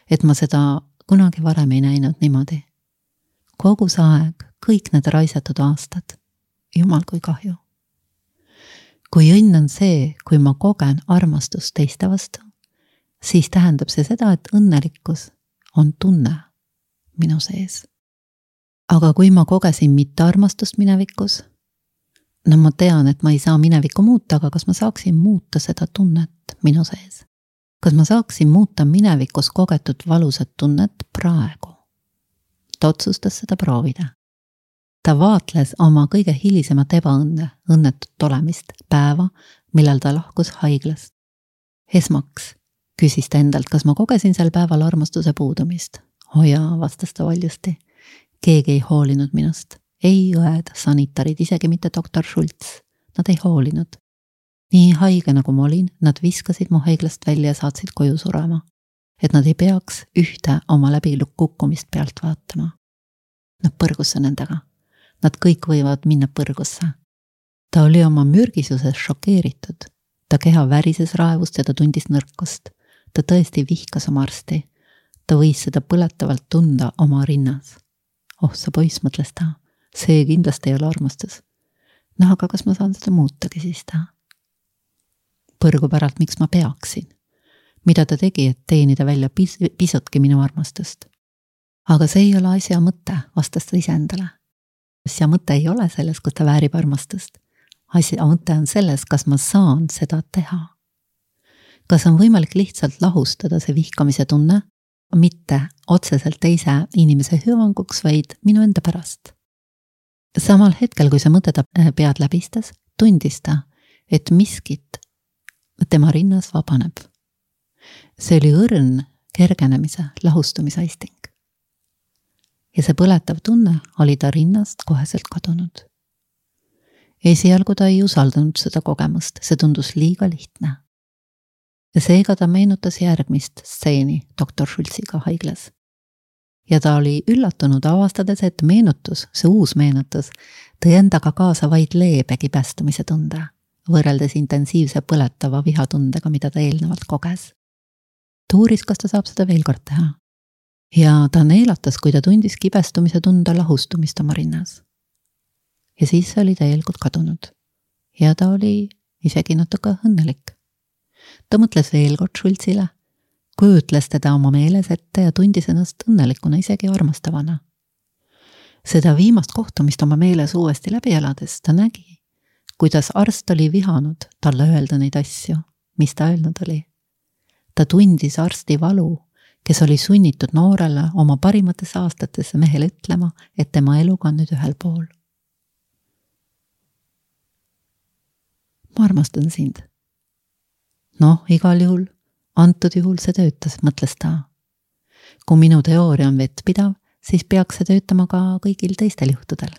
Speaker 1: et ma seda kunagi varem ei näinud niimoodi. Kogu see aeg, kõik need raisatud aastad. Jumal, kui kahju. Kui õnn on see, kui ma kogen armastust teiste vastu, siis tähendab see seda, et õnnelikkus on tunne minu sees. Aga kui ma kogesin mitte armastust minevikus, no ma tean, et ma ei saa minevikku muuta, aga kas ma saaksin muuta seda tunnet minu sees? Kas ma saaksin muuta minevikus kogetud valusat tunnet praegu? Ta otsustas seda proovida. Ta vaatles oma kõige hilisemat ebaõnne, õnnetut olemist, päeva, millal ta lahkus haiglast. Esmaks küsis ta endalt, kas ma kogesin sel päeval armastuse puudumist. O jaa, vastas ta valjusti. Keegi ei hoolinud minust. Ei õed, sanitarid, isegi mitte doktor Schultz. Nad ei hoolinud. Nii haige nagu ma olin, nad viskasid mu haiglast välja ja saatsid koju surema. Et nad ei peaks ühte oma läbi kukkumist pealt vaatama. Nad põrgusse nendega. Nad kõik võivad minna põrgusse. Ta oli oma mürgisuses šokeeritud. Ta keha värises raevust ja ta tundis nõrkust. Ta tõesti vihkas oma arsti. Ta võis seda põletavalt tunda oma rinnas. Oh, see poiss, mõtles ta. See kindlasti ei ole armastus. No, aga kas ma saan seda muuta, küsis ta. Põrgu päralt, miks ma peaksin? Mida ta tegi, et teenida välja pis pisutki minu armastust. Aga see ei ole asja mõte, vastas ta iseendale. Asja mõte ei ole selles, kus ta väärib armastust. Asja mõte on selles, kas ma saan seda teha. Kas on võimalik lihtsalt lahustada see vihkamise tunne, mitte otseselt teise inimese hüvanguks, vaid minu enda pärast. Samal hetkel, kui see mõte ta pead läbistas, tundis ta, et miskit tema rinnas vabaneb. See oli õrn kergenemise, lahustumise isting. Ja see põletav tunne oli ta rinnast koheselt kadunud. Esialgu ta ei usaldanud seda kogemust, see tundus liiga lihtne. Ja seega ta meenutas järgmist stseeni doktor Schultziga haiglas. Ja ta oli üllatunud avastades, et meenutus, see uus meenutus, tõi endaga kaasa vaid leebegi päästumise tunde, võrreldes intensiivse põletava vihatundega, mida ta eelnevalt koges. Ta uuris, kas ta saab seda veel kord teha. Ja ta neelatas, kui ta tundis kibestumise tunda lahustumist oma rinnas. Ja siis oli täielikult kadunud. Ja ta oli isegi natuke õnnelik. Ta mõtles veel kord Schultzile, kujutles teda oma meeles ette ja tundis ennast õnnelikuna, isegi armastavana. Seda viimast kohtumist oma meeles uuesti läbi elades ta nägi, kuidas arst oli vihanud talle öelda neid asju, mis ta öelnud oli. Ta tundis arsti valu, kes oli sunnitud noorele oma parimates aastates mehel ütlema, et tema eluga on nüüd ühel pool. Ma armastan sind. Noh, igal juhul, antud juhul see töötas, mõtles ta. Kui minu teooria on vettpidav, siis peaks see töötama ka kõigil teistel juhtudel.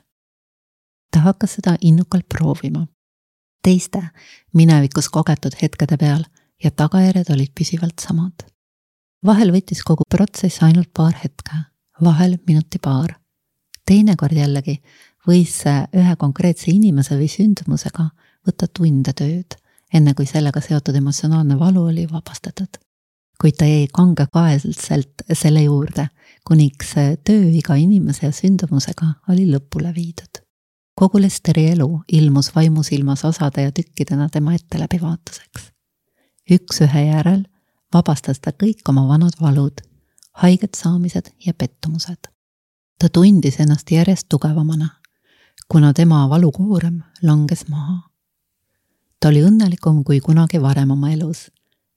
Speaker 1: Ta hakkas seda innukalt proovima. Teiste minevikus kogetud hetkede peal ja tagajärjed olid püsivalt samad. Vahel võttis kogu protsess ainult paar hetke, vahel minuti paar. Teinekord jällegi võis see ühe konkreetse inimese või sündmusega võtta tunde tööd, enne kui sellega seotud emotsionaalne valu oli vabastatud. Kuid ta jäi kange kaeselt selle juurde, kuniks töö iga inimese ja sündumusega oli lõpule viidud. Kogu Lesteri elu ilmus vaimusilmas osade ja tükkidena tema ette läbivaatuseks. Üks ühe järel vabastas ta kõik oma vanad valud, haiged saamised ja pettumused. Ta tundis ennast järjest tugevamana, kuna tema valukoorem langes maha. Ta oli õnnelikum kui kunagi varem oma elus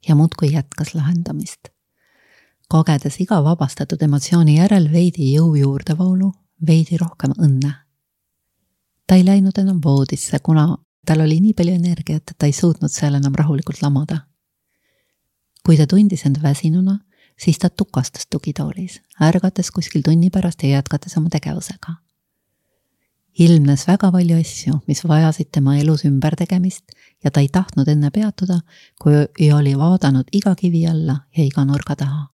Speaker 1: ja muudkui jätkas lahendamist. Kogedes iga vabastatud emotsiooni järel veidi jõu juurde voolu, veidi rohkem õnne. Ta ei läinud enam voodisse, kuna tal oli nii palju energiat, et ta ei suutnud seal enam rahulikult lamada. Kui ta tundis end väsinuna, siis ta tukastas tugitoolis, ärgates kuskil tunni pärast ja jätkates oma tegevusega. Ilmnes väga palju asju, mis vajasid tema elus ümbertegemist ja ta ei tahtnud enne peatuda, kui oli vaadanud iga kivi alla ja iga nurga taha.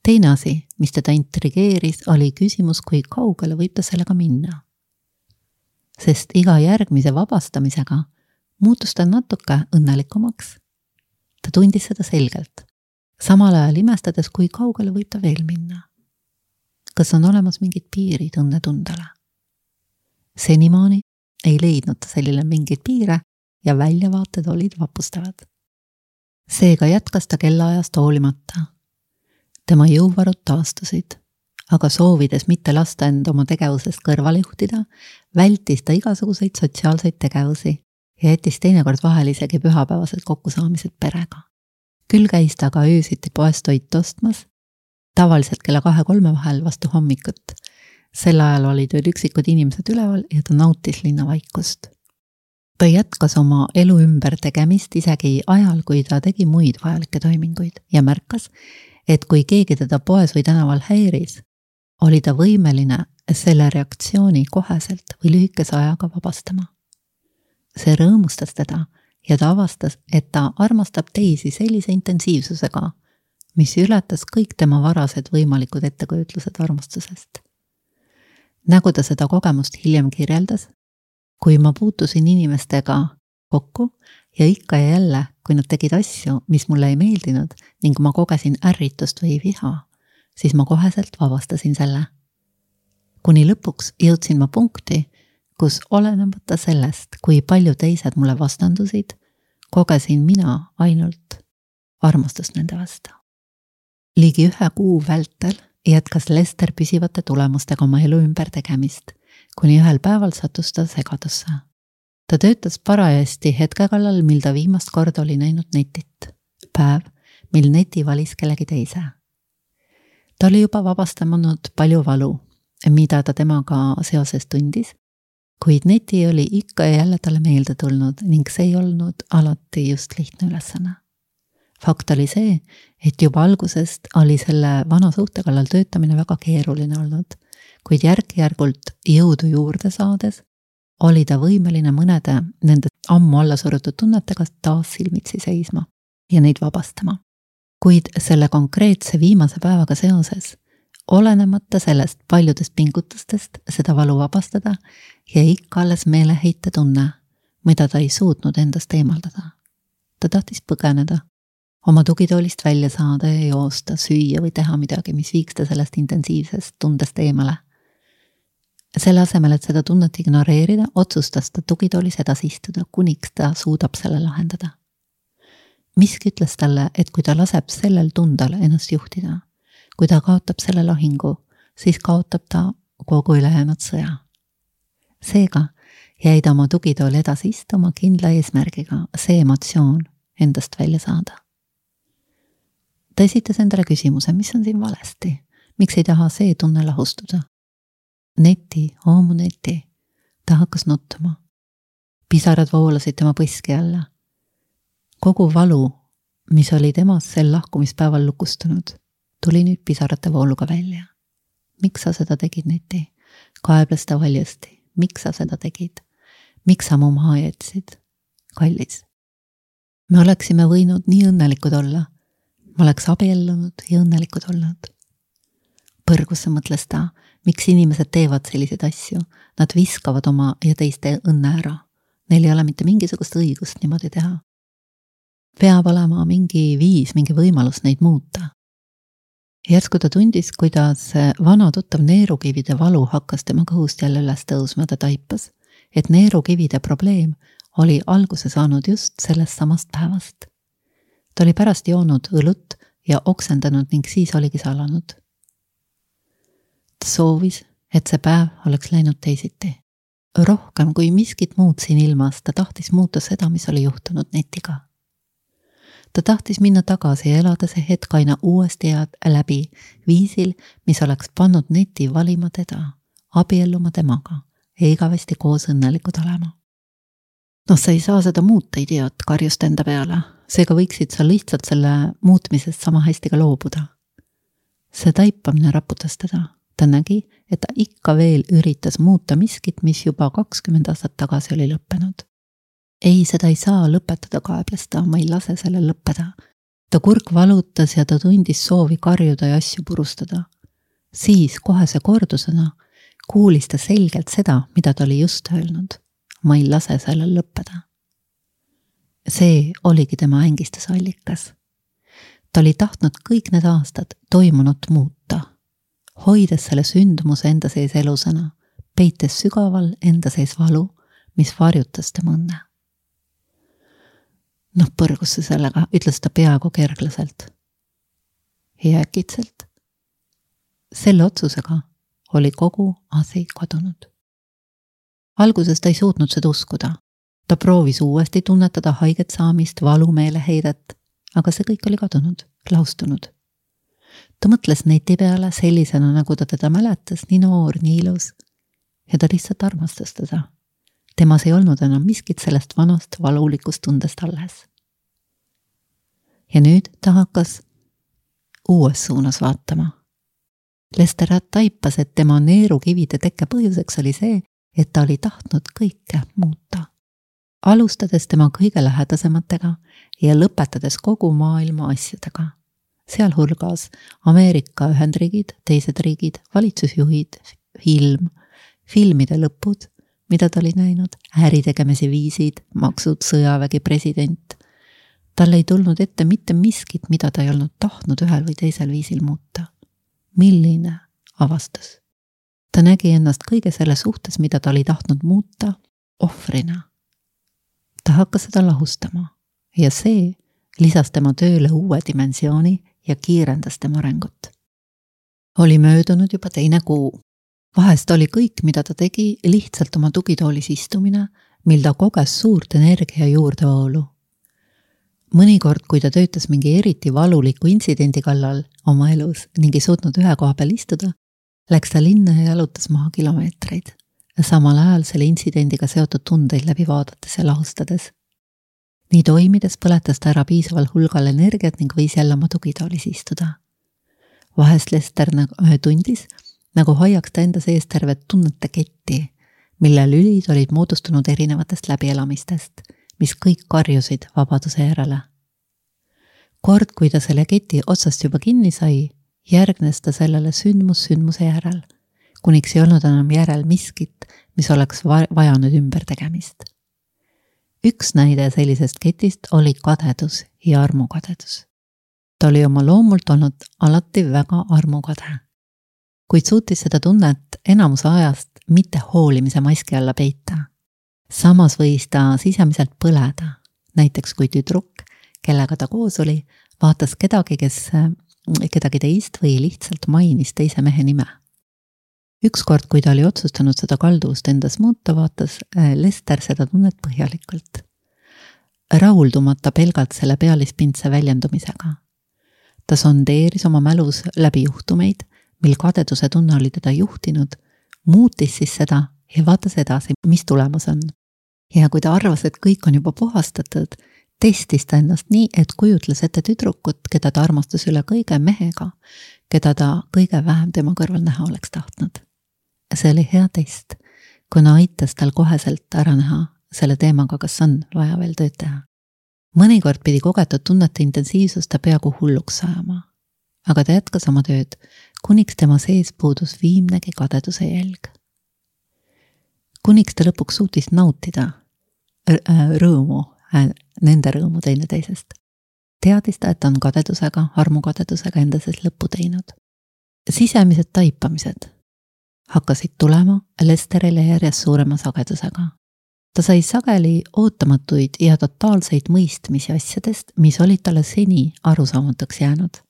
Speaker 1: Teine asi, mis teda intrigeeris, oli küsimus, kui kaugele võib ta sellega minna. Sest iga järgmise vabastamisega muutus ta natuke õnnelikumaks. Ta tundis seda selgelt. Samal ajal imestades, kui kaugele võib ta veel minna. Kas on olemas mingid piirid õnnetundele? Senimaani ei leidnud ta sellile mingeid piire ja väljavaated olid vapustavad. Seega jätkas ta kellaajast hoolimata. Tema jõuvarud taastusid, aga soovides mitte lasta end oma tegevusest kõrvale juhtida, vältis ta igasuguseid sotsiaalseid tegevusi ja jättis teinekord vahel isegi pühapäevased kokkusaamised perega. Küll käis ta ka öösiti poest toit ostmas, tavaliselt kella kahe-kolme vahel vastu hommikut. Sel ajal olid veel üksikud inimesed üleval ja ta nautis linna vaikust. Ta jätkas oma elu ümber tegemist isegi ajal, kui ta tegi muid vajalikke toiminguid ja märkas, et kui keegi teda poes või tänaval häiris, oli ta võimeline selle reaktsiooni koheselt või lühikese ajaga vabastama. See rõõmustas teda ja ta avastas, et ta armastab teisi sellise intensiivsusega, mis ületas kõik tema varased võimalikud ettekujutlused armastusest. Nagu ta seda kogemust hiljem kirjeldas, kui ma puutusin inimestega kokku ja ikka ja jälle, kui nad tegid asju, mis mulle ei meeldinud ning ma kogesin ärritust või viha, siis ma koheselt vabastasin selle. Kuni lõpuks jõudsin ma punkti, kus olenemata sellest, kui palju teised mulle vastandusid, kogesin mina ainult armastust nende vastu. Ligi ühe kuu vältel jätkas Lester püsivate tulemustega oma elu ümber tegemist, kuni ühel päeval sattus ta segadusse. Ta töötas parajasti hetke kallal, mil ta viimast korda oli näinud netit. Päev, mil neti valis kellegi teise. Ta oli juba vabastanud palju valu, mida ta temaga seoses tundis, kuid neti oli ikka ja jälle talle meelde tulnud ning see ei olnud alati just lihtne ülesanne. Fakt oli see, et juba algusest oli selle vana suhte kallal töötamine väga keeruline olnud, kuid järk-järgult jõudu juurde saades oli ta võimeline mõnede nende ammu alla surutud tunnetega taas silmitsi seisma ja neid vabastama. Kuid selle konkreetse viimase päevaga seoses, olenemata sellest paljudest pingutustest seda valu vabastada ja ikka alles meeleheite tunne, mida ta ei suutnud endast eemaldada. Ta tahtis põgeneda, oma tugitoolist välja saada ja joosta, süüa või teha midagi, mis viiks ta sellest intensiivsest tundest eemale. Selle asemel, et seda tunnet ignoreerida, otsustas ta tugitoolis edasi istuda, kuniks ta suudab selle lahendada. Miski ütles talle, et kui ta laseb sellel tundal ennast juhtida, kui ta kaotab selle lahingu, siis kaotab ta kogu ülejäänud sõja. Seega jäi ta oma tugitool edasi istuma kindla eesmärgiga see emotsioon endast välja saada. Ta esitas endale küsimuse, mis on siin valesti? Miks ei taha see tunne lahustuda? Neti, oomu neti. Ta hakkas nuttuma. Pisarad voolasid tema põski alla. Kogu valu, mis oli temas sel lahkumispäeval lukustunud, tuli nüüd pisarate vooluga välja. Miks sa seda tegid, Neti? Kaebles ta valjasti. Miks sa seda tegid? Miks sa mu maha jätsid? Kallis. Me oleksime võinud nii õnnelikud olla. Ma oleks abiellunud ja õnnelikud olnud. Põrgusse mõtles ta, miks inimesed teevad selliseid asju. Nad viskavad oma ja teiste õnne ära. Neil ei ole mitte mingisugust õigust niimoodi teha. Peab olema mingi viis, mingi võimalus neid muuta. Järsku ta tundis, kuidas vana tuttav neerukivide valu hakkas tema kõhust jälle üles tõusma, ta taipas, et neerukivide probleem oli alguse saanud just sellest samast päevast. Ta oli pärast joonud õlut ja oksendanud ning siis oligi salanud. Ta soovis, et see päev oleks läinud teisiti. Rohkem kui miskit muud siin ilmas, ta tahtis muuta seda, mis oli juhtunud Netiga. Ta tahtis minna tagasi ja elada see hetk aina uuesti ja läbi viisil, mis oleks pannud Neti valima teda, abielluma temaga ja igavesti koos õnnelikud olema. No sa ei saa seda muuta, idioot, karjust enda peale. Seega võiksid sa lihtsalt selle muutmisest sama hästi ka loobuda. See taipamine raputas teda. Ta nägi, et ta ikka veel üritas muuta miskit, mis juba kakskümmend aastat tagasi oli lõppenud. Ei, seda ei saa lõpetada, kaebles ta, ma ei lase selle lõppeda. Ta kurk valutas ja ta tundis soovi karjuda ja asju purustada. Siis kohese kordusena kuulis ta selgelt seda, mida ta oli just öelnud. Ma ei lase selle lõppeda. See oligi tema ängistes allikas. Ta oli tahtnud kõik need aastad toimunut muuta, hoides selle sündmuse enda sees elusena, peites sügaval enda sees valu, mis varjutas tema õnne. Noh, põrgus see sellega, ütles ta peaaegu kerglaselt. Ja äkitselt. Selle otsusega oli kogu asi kadunud. Alguses ta ei suutnud seda uskuda. Ta proovis uuesti tunnetada haiget saamist, valumeeleheidet, aga see kõik oli kadunud, laustunud. Ta mõtles Neti peale sellisena, nagu ta teda mäletas, nii noor, nii ilus, ja ta lihtsalt armastas teda. Temas ei olnud enam miskit sellest vanast valulikust tundest alles. Ja nüüd ta hakkas uues suunas vaatama. Lesterat taipas, et tema neerukivide tekke põhjuseks oli see, et ta oli tahtnud kõike muuta. Alustades tema kõige lähedasematega ja lõpetades kogu maailma asjadega. Sealhulgas Ameerika Ühendriigid, teised riigid, valitsusjuhid, film, filmide lõpud, mida ta oli näinud, äritegemisi viisid, maksud, sõjavägi, president. Tal ei tulnud ette mitte miskit, mida ta ei olnud tahtnud ühel või teisel viisil muuta. Milline avastus? Ta nägi ennast kõige selle suhtes, mida ta oli tahtnud muuta, ohvrina. Ta hakkas seda lahustama ja see lisas tema tööle uue dimensiooni ja kiirendas tema arengut. Oli möödunud juba teine kuu. Vahest oli kõik, mida ta tegi, lihtsalt oma tugitoolis istumine, mil ta koges suurt energia juurdevoolu. Mõnikord, kui ta töötas mingi eriti valuliku intsidendi kallal oma elus ning ei suutnud ühe koha peal istuda, läks ta linna ja jalutas maha kilomeetreid. Samal ajal selle intsidendiga seotud tundeid läbi vaadates ja lahustades. Nii toimides põletas ta ära piisaval hulgal energiat ning võis jälle oma tugitoolis istuda. Vahest Lester tundis, nagu hoiaks ta enda sees tervet tunnete ketti, mille lülid olid moodustunud erinevatest läbielamistest, mis kõik karjusid vabaduse järele. Kord, kui ta selle keti otsast juba kinni sai, järgnes ta sellele sündmus sündmuse järel, kuniks ei olnud enam järel miskit, mis oleks vajanud ümber tegemist. Üks näide sellisest ketist oli kadedus ja armukadedus. Ta oli oma loomult olnud alati väga armukade, kuid suutis seda tunnet enamuse ajast mitte hoolimise maski alla peita. Samas võis ta sisemiselt põleda, näiteks kui tüdruk, kellega ta koos oli, vaatas kedagi, kes kedagi teist või lihtsalt mainis teise mehe nime. Ükskord, kui ta oli otsustanud seda kalduvust endas muuta, vaatas Lester seda tunnet põhjalikult. Rahuldumata pelgalt selle pealispindse väljendumisega. Ta sondeeris oma mälus läbi juhtumeid, mil kadeduse tunne oli teda juhtinud, muutis siis seda ja vaatas edasi, mis tulemus on. Ja kui ta arvas, et kõik on juba puhastatud, testis ta ennast nii, et kujutles ette tüdrukut, keda ta armastas üle kõige mehega, keda ta kõige vähem tema kõrval näha oleks tahtnud. See oli hea test, kuna aitas tal koheselt ära näha selle teemaga, kas on vaja veel tööd teha. Mõnikord pidi kogetud tunnete intensiivsust ta peaaegu hulluks sajama, aga ta jätkas oma tööd, kuniks tema sees puudus viimnegi kadeduse jälg. Kuniks ta lõpuks suutis nautida rõõmu, nende rõõmu teine teisest. Teadis ta, et on kadedusega, armukadedusega enda sees lõppu teinud. Sisemised taipamised hakkasid tulema Lesterile järjest suurema sagedusega. Ta sai sageli ootamatuid ja totaalseid mõistmisi asjadest, mis olid talle seni arusaamatuks jäänud.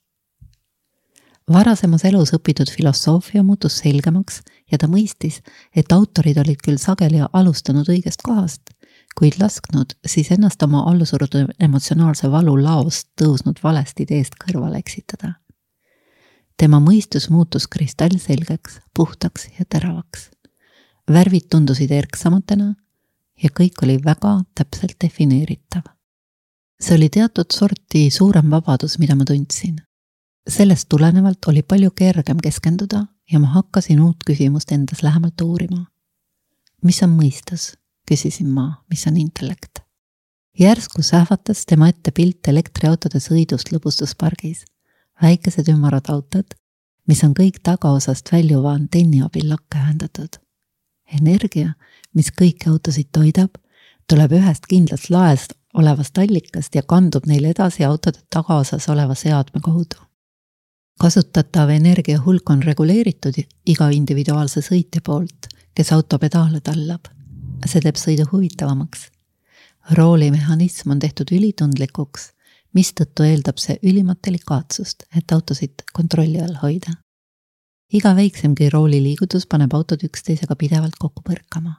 Speaker 1: Varasemas elus õpitud filosoofia muutus selgemaks ja ta mõistis, et autorid olid küll sageli alustanud õigest kohast, kuid lasknud siis ennast oma allusurutud emotsionaalse valu laost tõusnud valest ideest kõrvale eksitada. Tema mõistus muutus kristallselgeks, puhtaks ja teravaks. Värvid tundusid erksamatena ja kõik oli väga täpselt defineeritav. See oli teatud sorti suurem vabadus, mida ma tundsin. Sellest tulenevalt oli palju kergem keskenduda ja ma hakkasin uut küsimust endas lähemalt uurima. Mis on mõistus? Küsisin ma, mis on intellekt. Järsku sähvatas tema ette pilt elektriautode sõidust lõbustuspargis. Väikesed ümarad autod, mis on kõik tagaosast väljuva antenni abil lakke ühendatud. Energia, mis kõiki autosid toidab, tuleb ühest kindlast laest olevast allikast ja kandub neile edasi autode tagaosas oleva seadme kaudu. Kasutatav energia hulk on reguleeritud iga individuaalse sõitja poolt, kes auto pedaale tallab. See teeb sõidu huvitavamaks. Roolimehhanism on tehtud ülitundlikuks, mistõttu eeldab see ülimat delikaatsust, et autosid kontrolli all hoida. Iga väiksemgi rooli liigutus paneb autod üksteisega pidevalt kokku põrkama.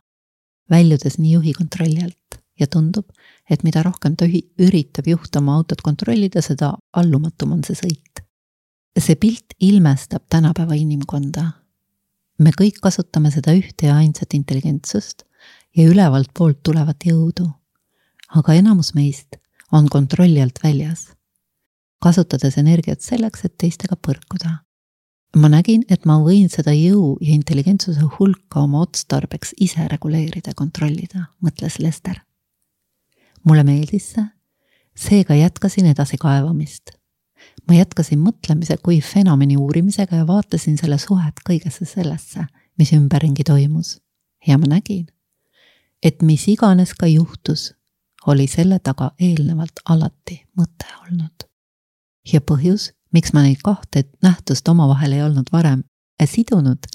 Speaker 1: Väljudes nii juhi kontrolli alt ja tundub, et mida rohkem ta üritab juht oma autot kontrollida, seda allumatum on see sõit. See pilt ilmestab tänapäeva inimkonda. Me kõik kasutame seda ühte ja ainsat intelligentsust ja ülevalt poolt tulevat jõudu, aga enamus meist on kontrolli alt väljas, kasutades energiat selleks, et teistega põrkuda. Ma nägin, et ma võin seda jõu ja intelligentsuse hulka oma otstarbeks ise reguleerida ja kontrollida, mõtles Lester. Mulle meeldis see, seega jätkasin edasi kaevamist. Ma jätkasin mõtlemise kui fenomeni uurimisega ja vaatasin selle suhet kõigesse sellesse, mis ümberringi toimus. Ja ma nägin, et mis iganes ka juhtus, oli selle taga eelnevalt alati mõte olnud. Ja põhjus, miks ma neid kahte nähtust omavahel ei olnud varem sidunud,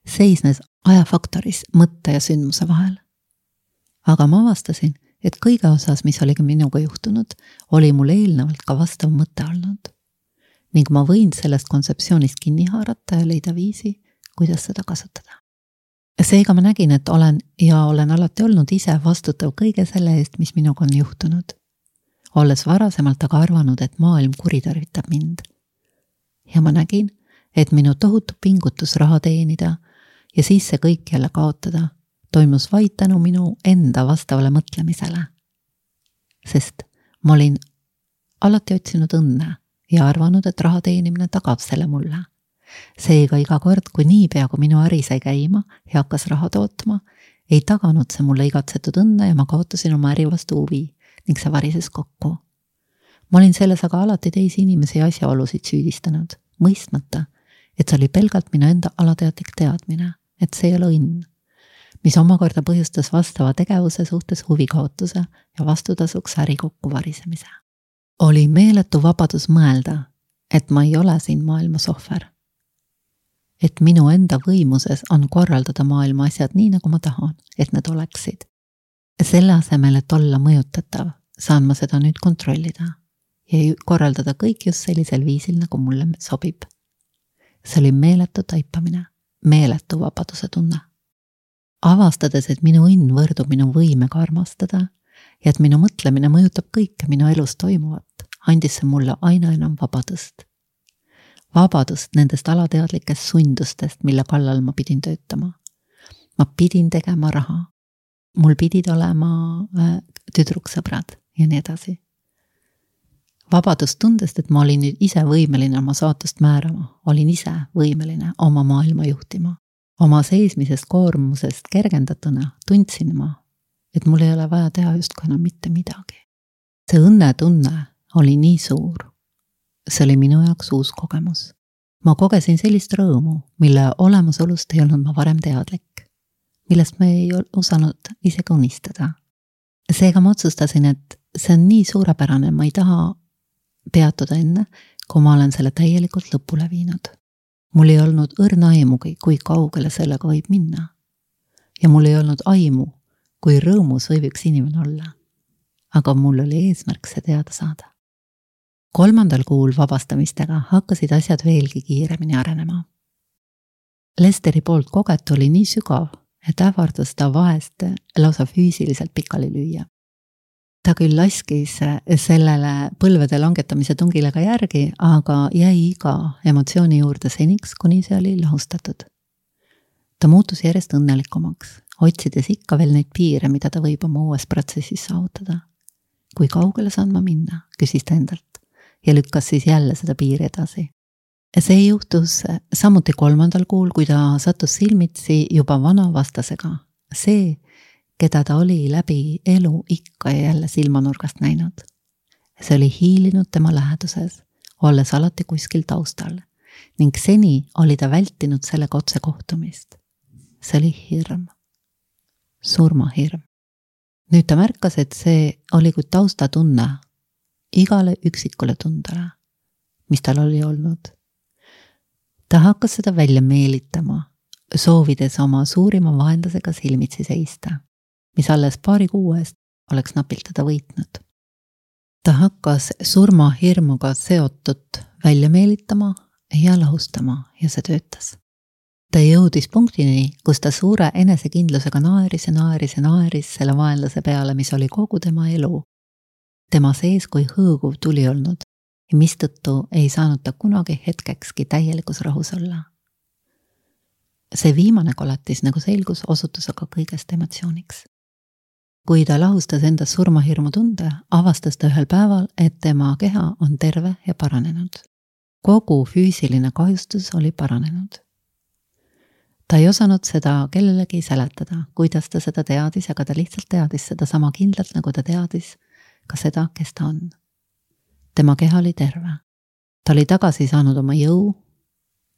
Speaker 1: seisnes ajafaktoris mõtte ja sündmuse vahel. Aga ma avastasin, et kõige osas, mis oligi minuga juhtunud, oli mul eelnevalt ka vastav mõte olnud. Ning ma võin sellest kontseptsioonist kinni haarata ja leida viisi, kuidas seda kasutada. Seega ma nägin, et olen ja olen alati olnud ise vastutav kõige selle eest, mis minuga on juhtunud. Olles varasemalt aga arvanud, et maailm kuritarvitab mind. Ja ma nägin, et minu tohutu pingutus raha teenida ja siis see kõik jälle kaotada toimus vaid tänu minu enda vastavale mõtlemisele. Sest ma olin alati otsinud õnne ja arvanud, et raha teenimine tagab selle mulle. Seega iga kord, kui niipea kui minu äri sai käima ja hakkas raha tootma, ei taganud see mulle igatsetud õnne ja ma kaotasin oma äri vastu huvi ning see varises kokku. Ma olin selles aga alati teisi inimesi ja asjaolusid süüdistanud, mõistmata, et see oli pelgalt minu enda alateadlik teadmine, et see ei ole õnn, mis omakorda põhjustas vastava tegevuse suhtes huvikaotuse ja vastutasuks äri kokku varisemise. Oli meeletu vabadus mõelda, et ma ei ole siin maailmas ohver. Et minu enda võimuses on korraldada maailma asjad nii, nagu ma tahan, et need oleksid. Selle asemel, et olla mõjutatav, saan ma seda nüüd kontrollida ja korraldada kõik just sellisel viisil, nagu mulle sobib. See oli meeletu taipamine meeletu vabaduse tunne. Avastades, et minu õnn võrdub minu võimega armastada ja et minu mõtlemine mõjutab kõike minu elus toimuvat, andis see mulle aina enam vabadust. Vabadust nendest alateadlikest sundustest, mille kallal ma pidin töötama. Ma pidin tegema raha. Mul pidid olema äh, tüdruksõbrad ja nii edasi. Vabadust tundest, et ma olin nüüd ise võimeline oma saatust määrama, olin ise võimeline oma maailma juhtima. Oma seismisest koormusest kergendatuna tundsin ma, et mul ei ole vaja teha justkui enam mitte midagi. See õnnetunne oli nii suur. See oli minu jaoks uus kogemus. Ma kogesin sellist rõõmu, mille olemasolust ei olnud ma varem teadlik, millest ma ei osanud isegi unistada. Seega ma otsustasin, et see on nii suurepärane, ma ei taha peatuda enne, kui ma olen selle täielikult lõpule viinud. Mul ei olnud õrna aimugi, kui kaugele sellega võib minna. Ja mul ei olnud aimu, kui rõõmus võib üks inimene olla. Aga mul oli eesmärk see teada saada. Kolmandal kuul vabastamistega hakkasid asjad veelgi kiiremini arenema. Lesteri poolt kogetu oli nii sügav, et ähvardas ta vahest lausa füüsiliselt pikali lüüa. Ta küll laskis sellele põlvede langetamise tungile ka järgi, aga jäi iga emotsiooni juurde seniks, kuni see oli lahustatud. Ta muutus järjest õnnelikumaks, otsides ikka veel neid piire, mida ta võib oma uues protsessis saavutada. Kui kaugele saan ma minna, küsis ta endalt ja lükkas siis jälle seda piiri edasi. See juhtus samuti kolmandal kuul, kui ta sattus silmitsi juba vana vastasega. See, keda ta oli läbi elu ikka ja jälle silmanurgast näinud. See oli hiilinud tema läheduses, olles alati kuskil taustal, ning seni oli ta vältinud sellega otse kohtumist. See oli hirm. Surmahirm. Nüüd ta märkas, et see oli kui taustatunne igale üksikule tundele, mis tal oli olnud. Ta hakkas seda välja meelitama, soovides oma suurima vaenlasega silmitsi seista, mis alles paari kuu eest oleks napilt teda võitnud. Ta hakkas surmahirmuga seotud välja meelitama ja lahustama ja see töötas. Ta jõudis punktini, kus ta suure enesekindlusega naeris ja naeris ja naeris selle vaenlase peale, mis oli kogu tema elu. Tema sees kui hõõguv tuli olnud ja mistõttu ei saanud ta kunagi hetkekski täielikus rahus olla. See viimane kolatis, nagu selgus, osutus aga kõigest emotsiooniks. Kui ta lahustas endas surmahirmu tunde, avastas ta ühel päeval, et tema keha on terve ja paranenud. Kogu füüsiline kahjustus oli paranenud. Ta ei osanud seda kellelegi seletada, kuidas ta seda teadis, aga ta lihtsalt teadis seda sama kindlalt, nagu ta teadis ka seda, kes ta on. Tema keha oli terve. Ta oli tagasi saanud oma jõu,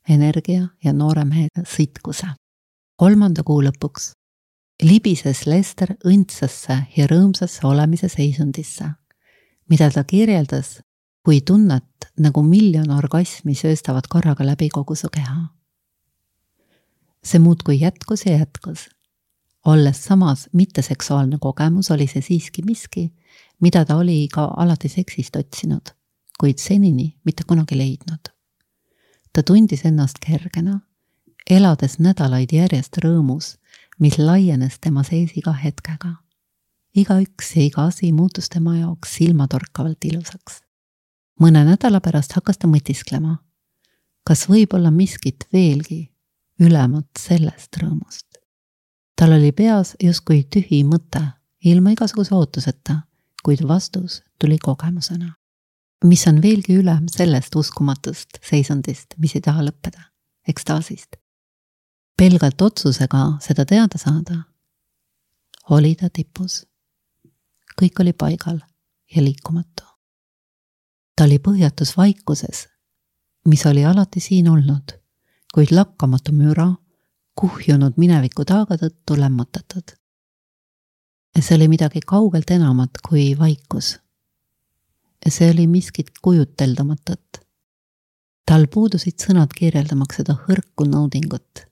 Speaker 1: energia ja noore mehe sitkuse. Kolmanda kuu lõpuks libises Lester õndsasse ja rõõmsasse olemise seisundisse, mida ta kirjeldas kui tunnet nagu miljon orgasmi sööstavad korraga läbi kogu su keha. See muudkui jätkus ja jätkus. Olles samas mitteseksuaalne kogemus, oli see siiski miski, mida ta oli ka alati seksist otsinud, kuid senini mitte kunagi leidnud. Ta tundis ennast kergena, elades nädalaid järjest rõõmus, mis laienes tema sees iga hetkega. Iga üks ja iga asi muutus tema jaoks silmatorkavalt ilusaks. Mõne nädala pärast hakkas ta mõtisklema, kas võib olla miskit veelgi ülemat sellest rõõmust. Tal oli peas justkui tühi mõte, ilma igasuguse ootuseta, kuid vastus tuli kogemusena. Mis on veelgi ülem sellest uskumatust seisundist, mis ei taha lõppeda, ekstaasist. Pelgalt otsusega seda teada saada, oli ta tipus. Kõik oli paigal ja liikumatu. Ta oli põhjatus vaikuses, mis oli alati siin olnud, kuid lakkamatu müra, kuhjunud mineviku taaga tõttu lämmatatud. See oli midagi kaugelt enamat kui vaikus. See oli miskit kujuteldamatut. Tal puudusid sõnad kirjeldamaks seda hõrku naudingut.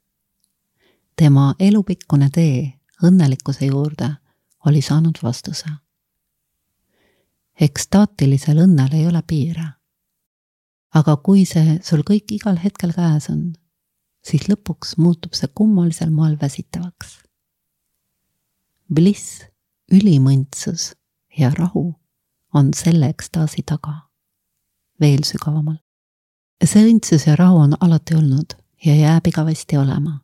Speaker 1: Tema elupikkune tee õnnelikkuse juurde oli saanud vastuse. Ekstaatilisel õnnel ei ole piire. Aga kui see sul kõik igal hetkel käes on, siis lõpuks muutub see kummalisel moel väsitavaks. Bliss, ülimõndsus ja rahu on selle ekstaasi taga, veel sügavamal. See õndsus ja rahu on alati olnud ja jääb igavesti olema.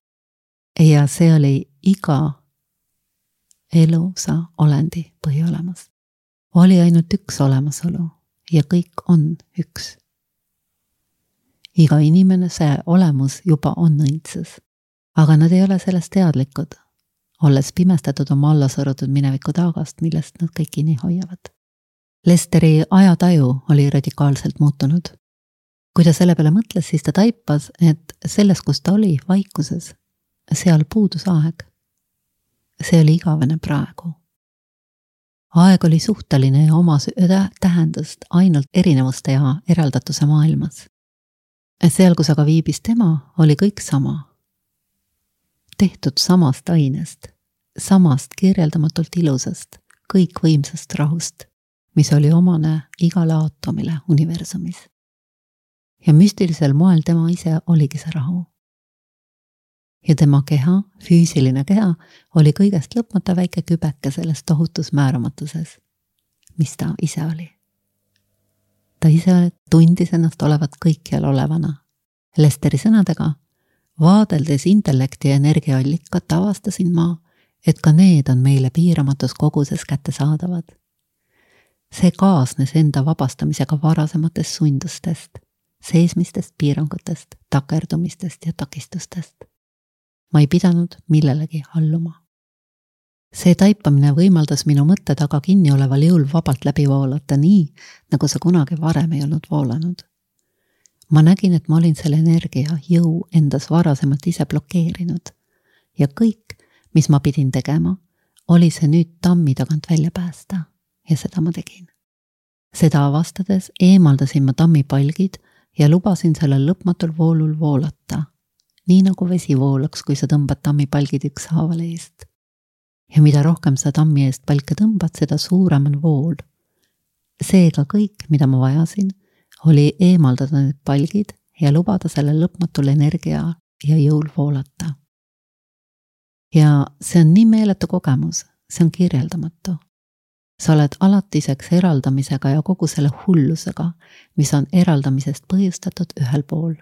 Speaker 1: Ja see oli iga elusa olendi põhiolemus. Oli ainult üks olemasolu ja kõik on üks. Iga inimene see olemus juba on õndsus, aga nad ei ole sellest teadlikud, olles pimestatud oma allasurutud mineviku taagast, millest nad kõik kinni hoiavad. Lesteri ajataju oli radikaalselt muutunud. Kui ta selle peale mõtles, siis ta taipas, et selles, kus ta oli vaikuses, seal puudus aeg. See oli igavene praegu. Aeg oli suhteline ja omas tähendust ainult erinevuste ja eraldatuse maailmas. Seal, kus aga viibis tema, oli kõik sama. Tehtud samast ainest, samast kirjeldamatult ilusast, kõikvõimsast rahust, mis oli omane igale aatomile universumis. Ja müstilisel moel tema ise oligi see rahu. Ja tema keha, füüsiline keha, oli kõigest lõpmata väike kübeke selles tohutus määramatuses, mis ta ise oli. Ta ise tundis ennast olevat kõikjal olevana. Lesteri sõnadega, vaadeldes intellekti ja energiaallikat, avastasin ma, et ka need on meile piiramatus koguses kätte saadavad. See kaasnes enda vabastamisega varasematest sundustest, seesmistest piirangutest, takerdumistest ja takistustest. Ma ei pidanud millelegi alluma. See taipamine võimaldas minu mõtte taga kinni oleval jõul vabalt läbi voolata nii, nagu see kunagi varem ei olnud voolanud. Ma nägin, et ma olin selle energia jõu endas varasemalt ise blokeerinud ja kõik, mis ma pidin tegema, oli see nüüd tammi tagant välja päästa ja seda ma tegin. Seda avastades eemaldasin ma tammi palgid ja lubasin sellel lõpmatul voolul voolata, nii nagu vesi voolaks, kui sa tõmbad tammi palgid ükshaaval eest. Ja mida rohkem sa tammi eest palke tõmbad, seda suurem on vool. Seega kõik, mida ma vajasin, oli eemaldada need palgid ja lubada selle lõpmatul energia ja jõul voolata. Ja see on nii meeletu kogemus, see on kirjeldamatu. Sa oled alatiseks eraldamisega ja kogu selle hullusega, mis on eraldamisest põhjustatud ühel pool.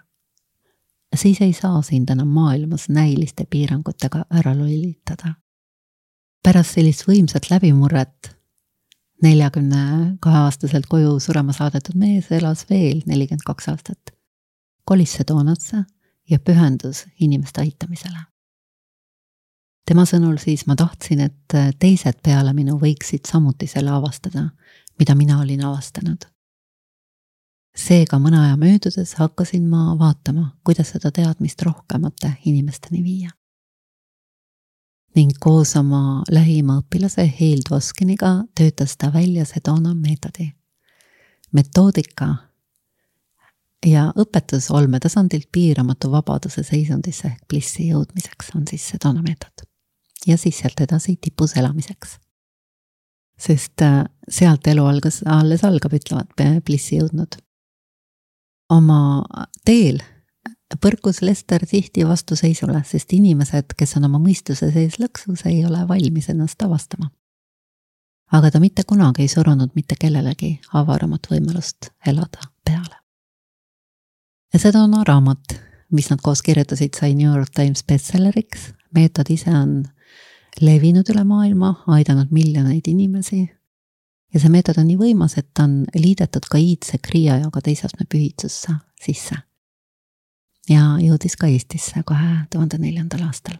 Speaker 1: Siis ei saa sind enam maailmas näiliste piirangutega ära lollitada. Pärast sellist võimsat läbimurret neljakümne kahe aastaselt koju surema saadetud mees elas veel nelikümmend kaks aastat. Kolis see Toonasse ja pühendus inimeste aitamisele. Tema sõnul siis ma tahtsin, et teised peale minu võiksid samuti selle avastada, mida mina olin avastanud. Seega mõne aja möödudes hakkasin ma vaatama, kuidas seda teadmist rohkemate inimesteni viia. Ning koos oma lähima õpilase Heild Voskiniga töötas ta välja Sedona meetodi. Metoodika ja õpetus olmetasandilt piiramatu vabaduse seisundisse ehk blissi jõudmiseks on siis Sedona meetod. Ja siis sealt edasi tipus elamiseks. Sest sealt elu algas, alles algab, ütlevad blissi jõudnud. Oma teel põrkus Lester tihti vastu seisule, sest inimesed, kes on oma mõistuse sees lõksus, ei ole valmis ennast avastama. Aga ta mitte kunagi ei surunud mitte kellelegi avaramat võimalust elada peale. Ja seda on raamat, mis nad koos kirjutasid, sai New York Times bestselleriks. Meetod ise on levinud üle maailma, aidanud miljoneid inimesi. Ja see meetod on nii võimas, et ta on liidetud ka iidse kriiajaga teisastme pühitsusse sisse. Ja jõudis ka Eestisse kahe tuhande neljandal aastal.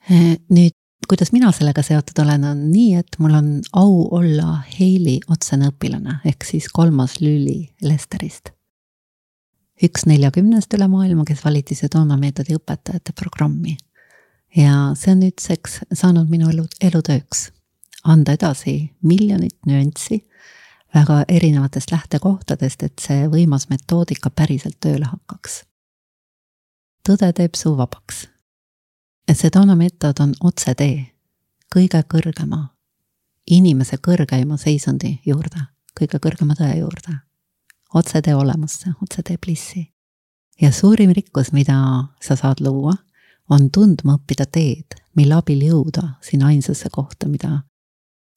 Speaker 1: Nüüd, kuidas mina sellega seotud olen, on nii, et mul on au olla Heili otsene õpilane, ehk siis kolmas lüli Lesterist. Üks neljakümnest üle maailma, kes valiti Sedona meetodi õpetajate programmi. Ja see on nüüdseks saanud minu elu, elutööks. Anda edasi miljonit nüanssi väga erinevatest lähtekohtadest, et see võimas metoodika päriselt tööle hakkaks. Tõde teeb su vabaks. Et Sedona meetod on otse tee, kõige kõrgema, inimese kõrgeima seisundi juurde, kõige kõrgema tõe juurde. Otse tee olemusse, otse tee blissi. Ja suurim rikkus, mida sa saad luua, on tundma õppida teed, mille abil jõuda sinna ainsasse kohta, mida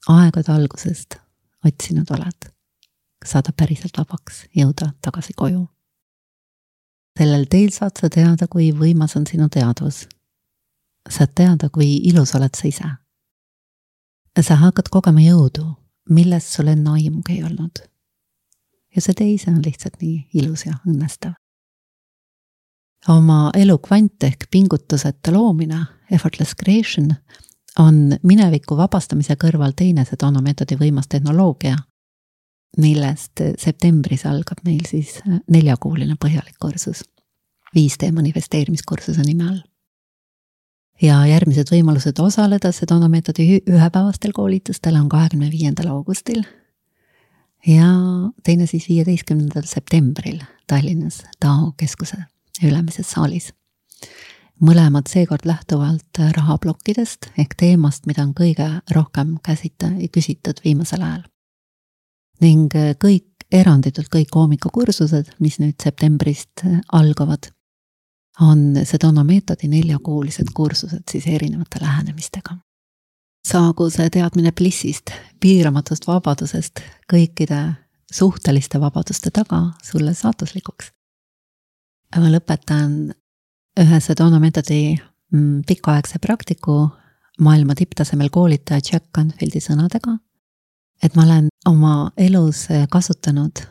Speaker 1: aegade algusest otsinud oled. Saada päriselt vabaks, jõuda tagasi koju. Sellel teel saad sa teada, kui võimas on sinu teadvus. Saad teada, kui ilus oled sa ise. Sa hakkad kogema jõudu, millest sul enne aimugi ei olnud. Ja see tee ise on lihtsalt nii ilus ja õnnestav. Oma elu kvant ehk pingutuseta loomine, effortless creation, on mineviku vabastamise kõrval teine Sedona meetodi võimas tehnoloogia, millest septembris algab meil siis neljakuuline põhjalik kursus, viis D manifesteerimiskursuse nime all. Ja järgmised võimalused osaleda Sedona meetodi ühepäevastel koolitustel on kahekümne viiendal augustil ja teine siis viieteistkümnendal septembril Tallinnas Tao keskuse ülemises saalis. Mõlemad seekord lähtuvalt rahaplokkidest ehk teemast, mida on kõige rohkem käsita ja küsitud viimasel ajal. Ning kõik eranditult kõik hommikukursused, mis nüüd septembrist algavad, on Sedona meetodi neljakuulised kursused siis erinevate lähenemistega. Saagu see teadmine blissist, piiramatust vabadusest, kõikide suhteliste vabaduste taga sulle saatuslikuks. Ma lõpetan ühe Sedona meetodi pikaaegse praktiku maailma tipptasemel koolitaja Jack Canfieldi sõnadega, et ma olen oma elus kasutanud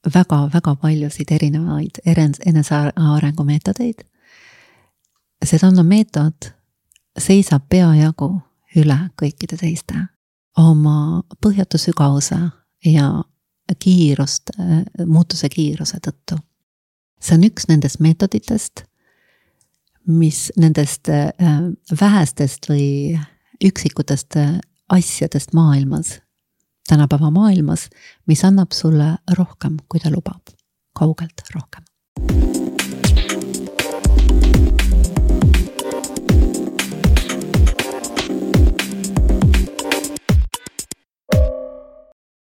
Speaker 1: väga-väga paljusid erinevaid enesearengu meetodeid. Sedona meetod seisab peajagu üle kõikide teiste oma põhjatu sügavuse ja kiirust, muutuse kiiruse tõttu. See on üks nendest meetoditest, mis nendest vähestest või üksikutest asjadest maailmas, tänapäeva maailmas, mis annab sulle rohkem, kui ta lubab, kaugelt rohkem.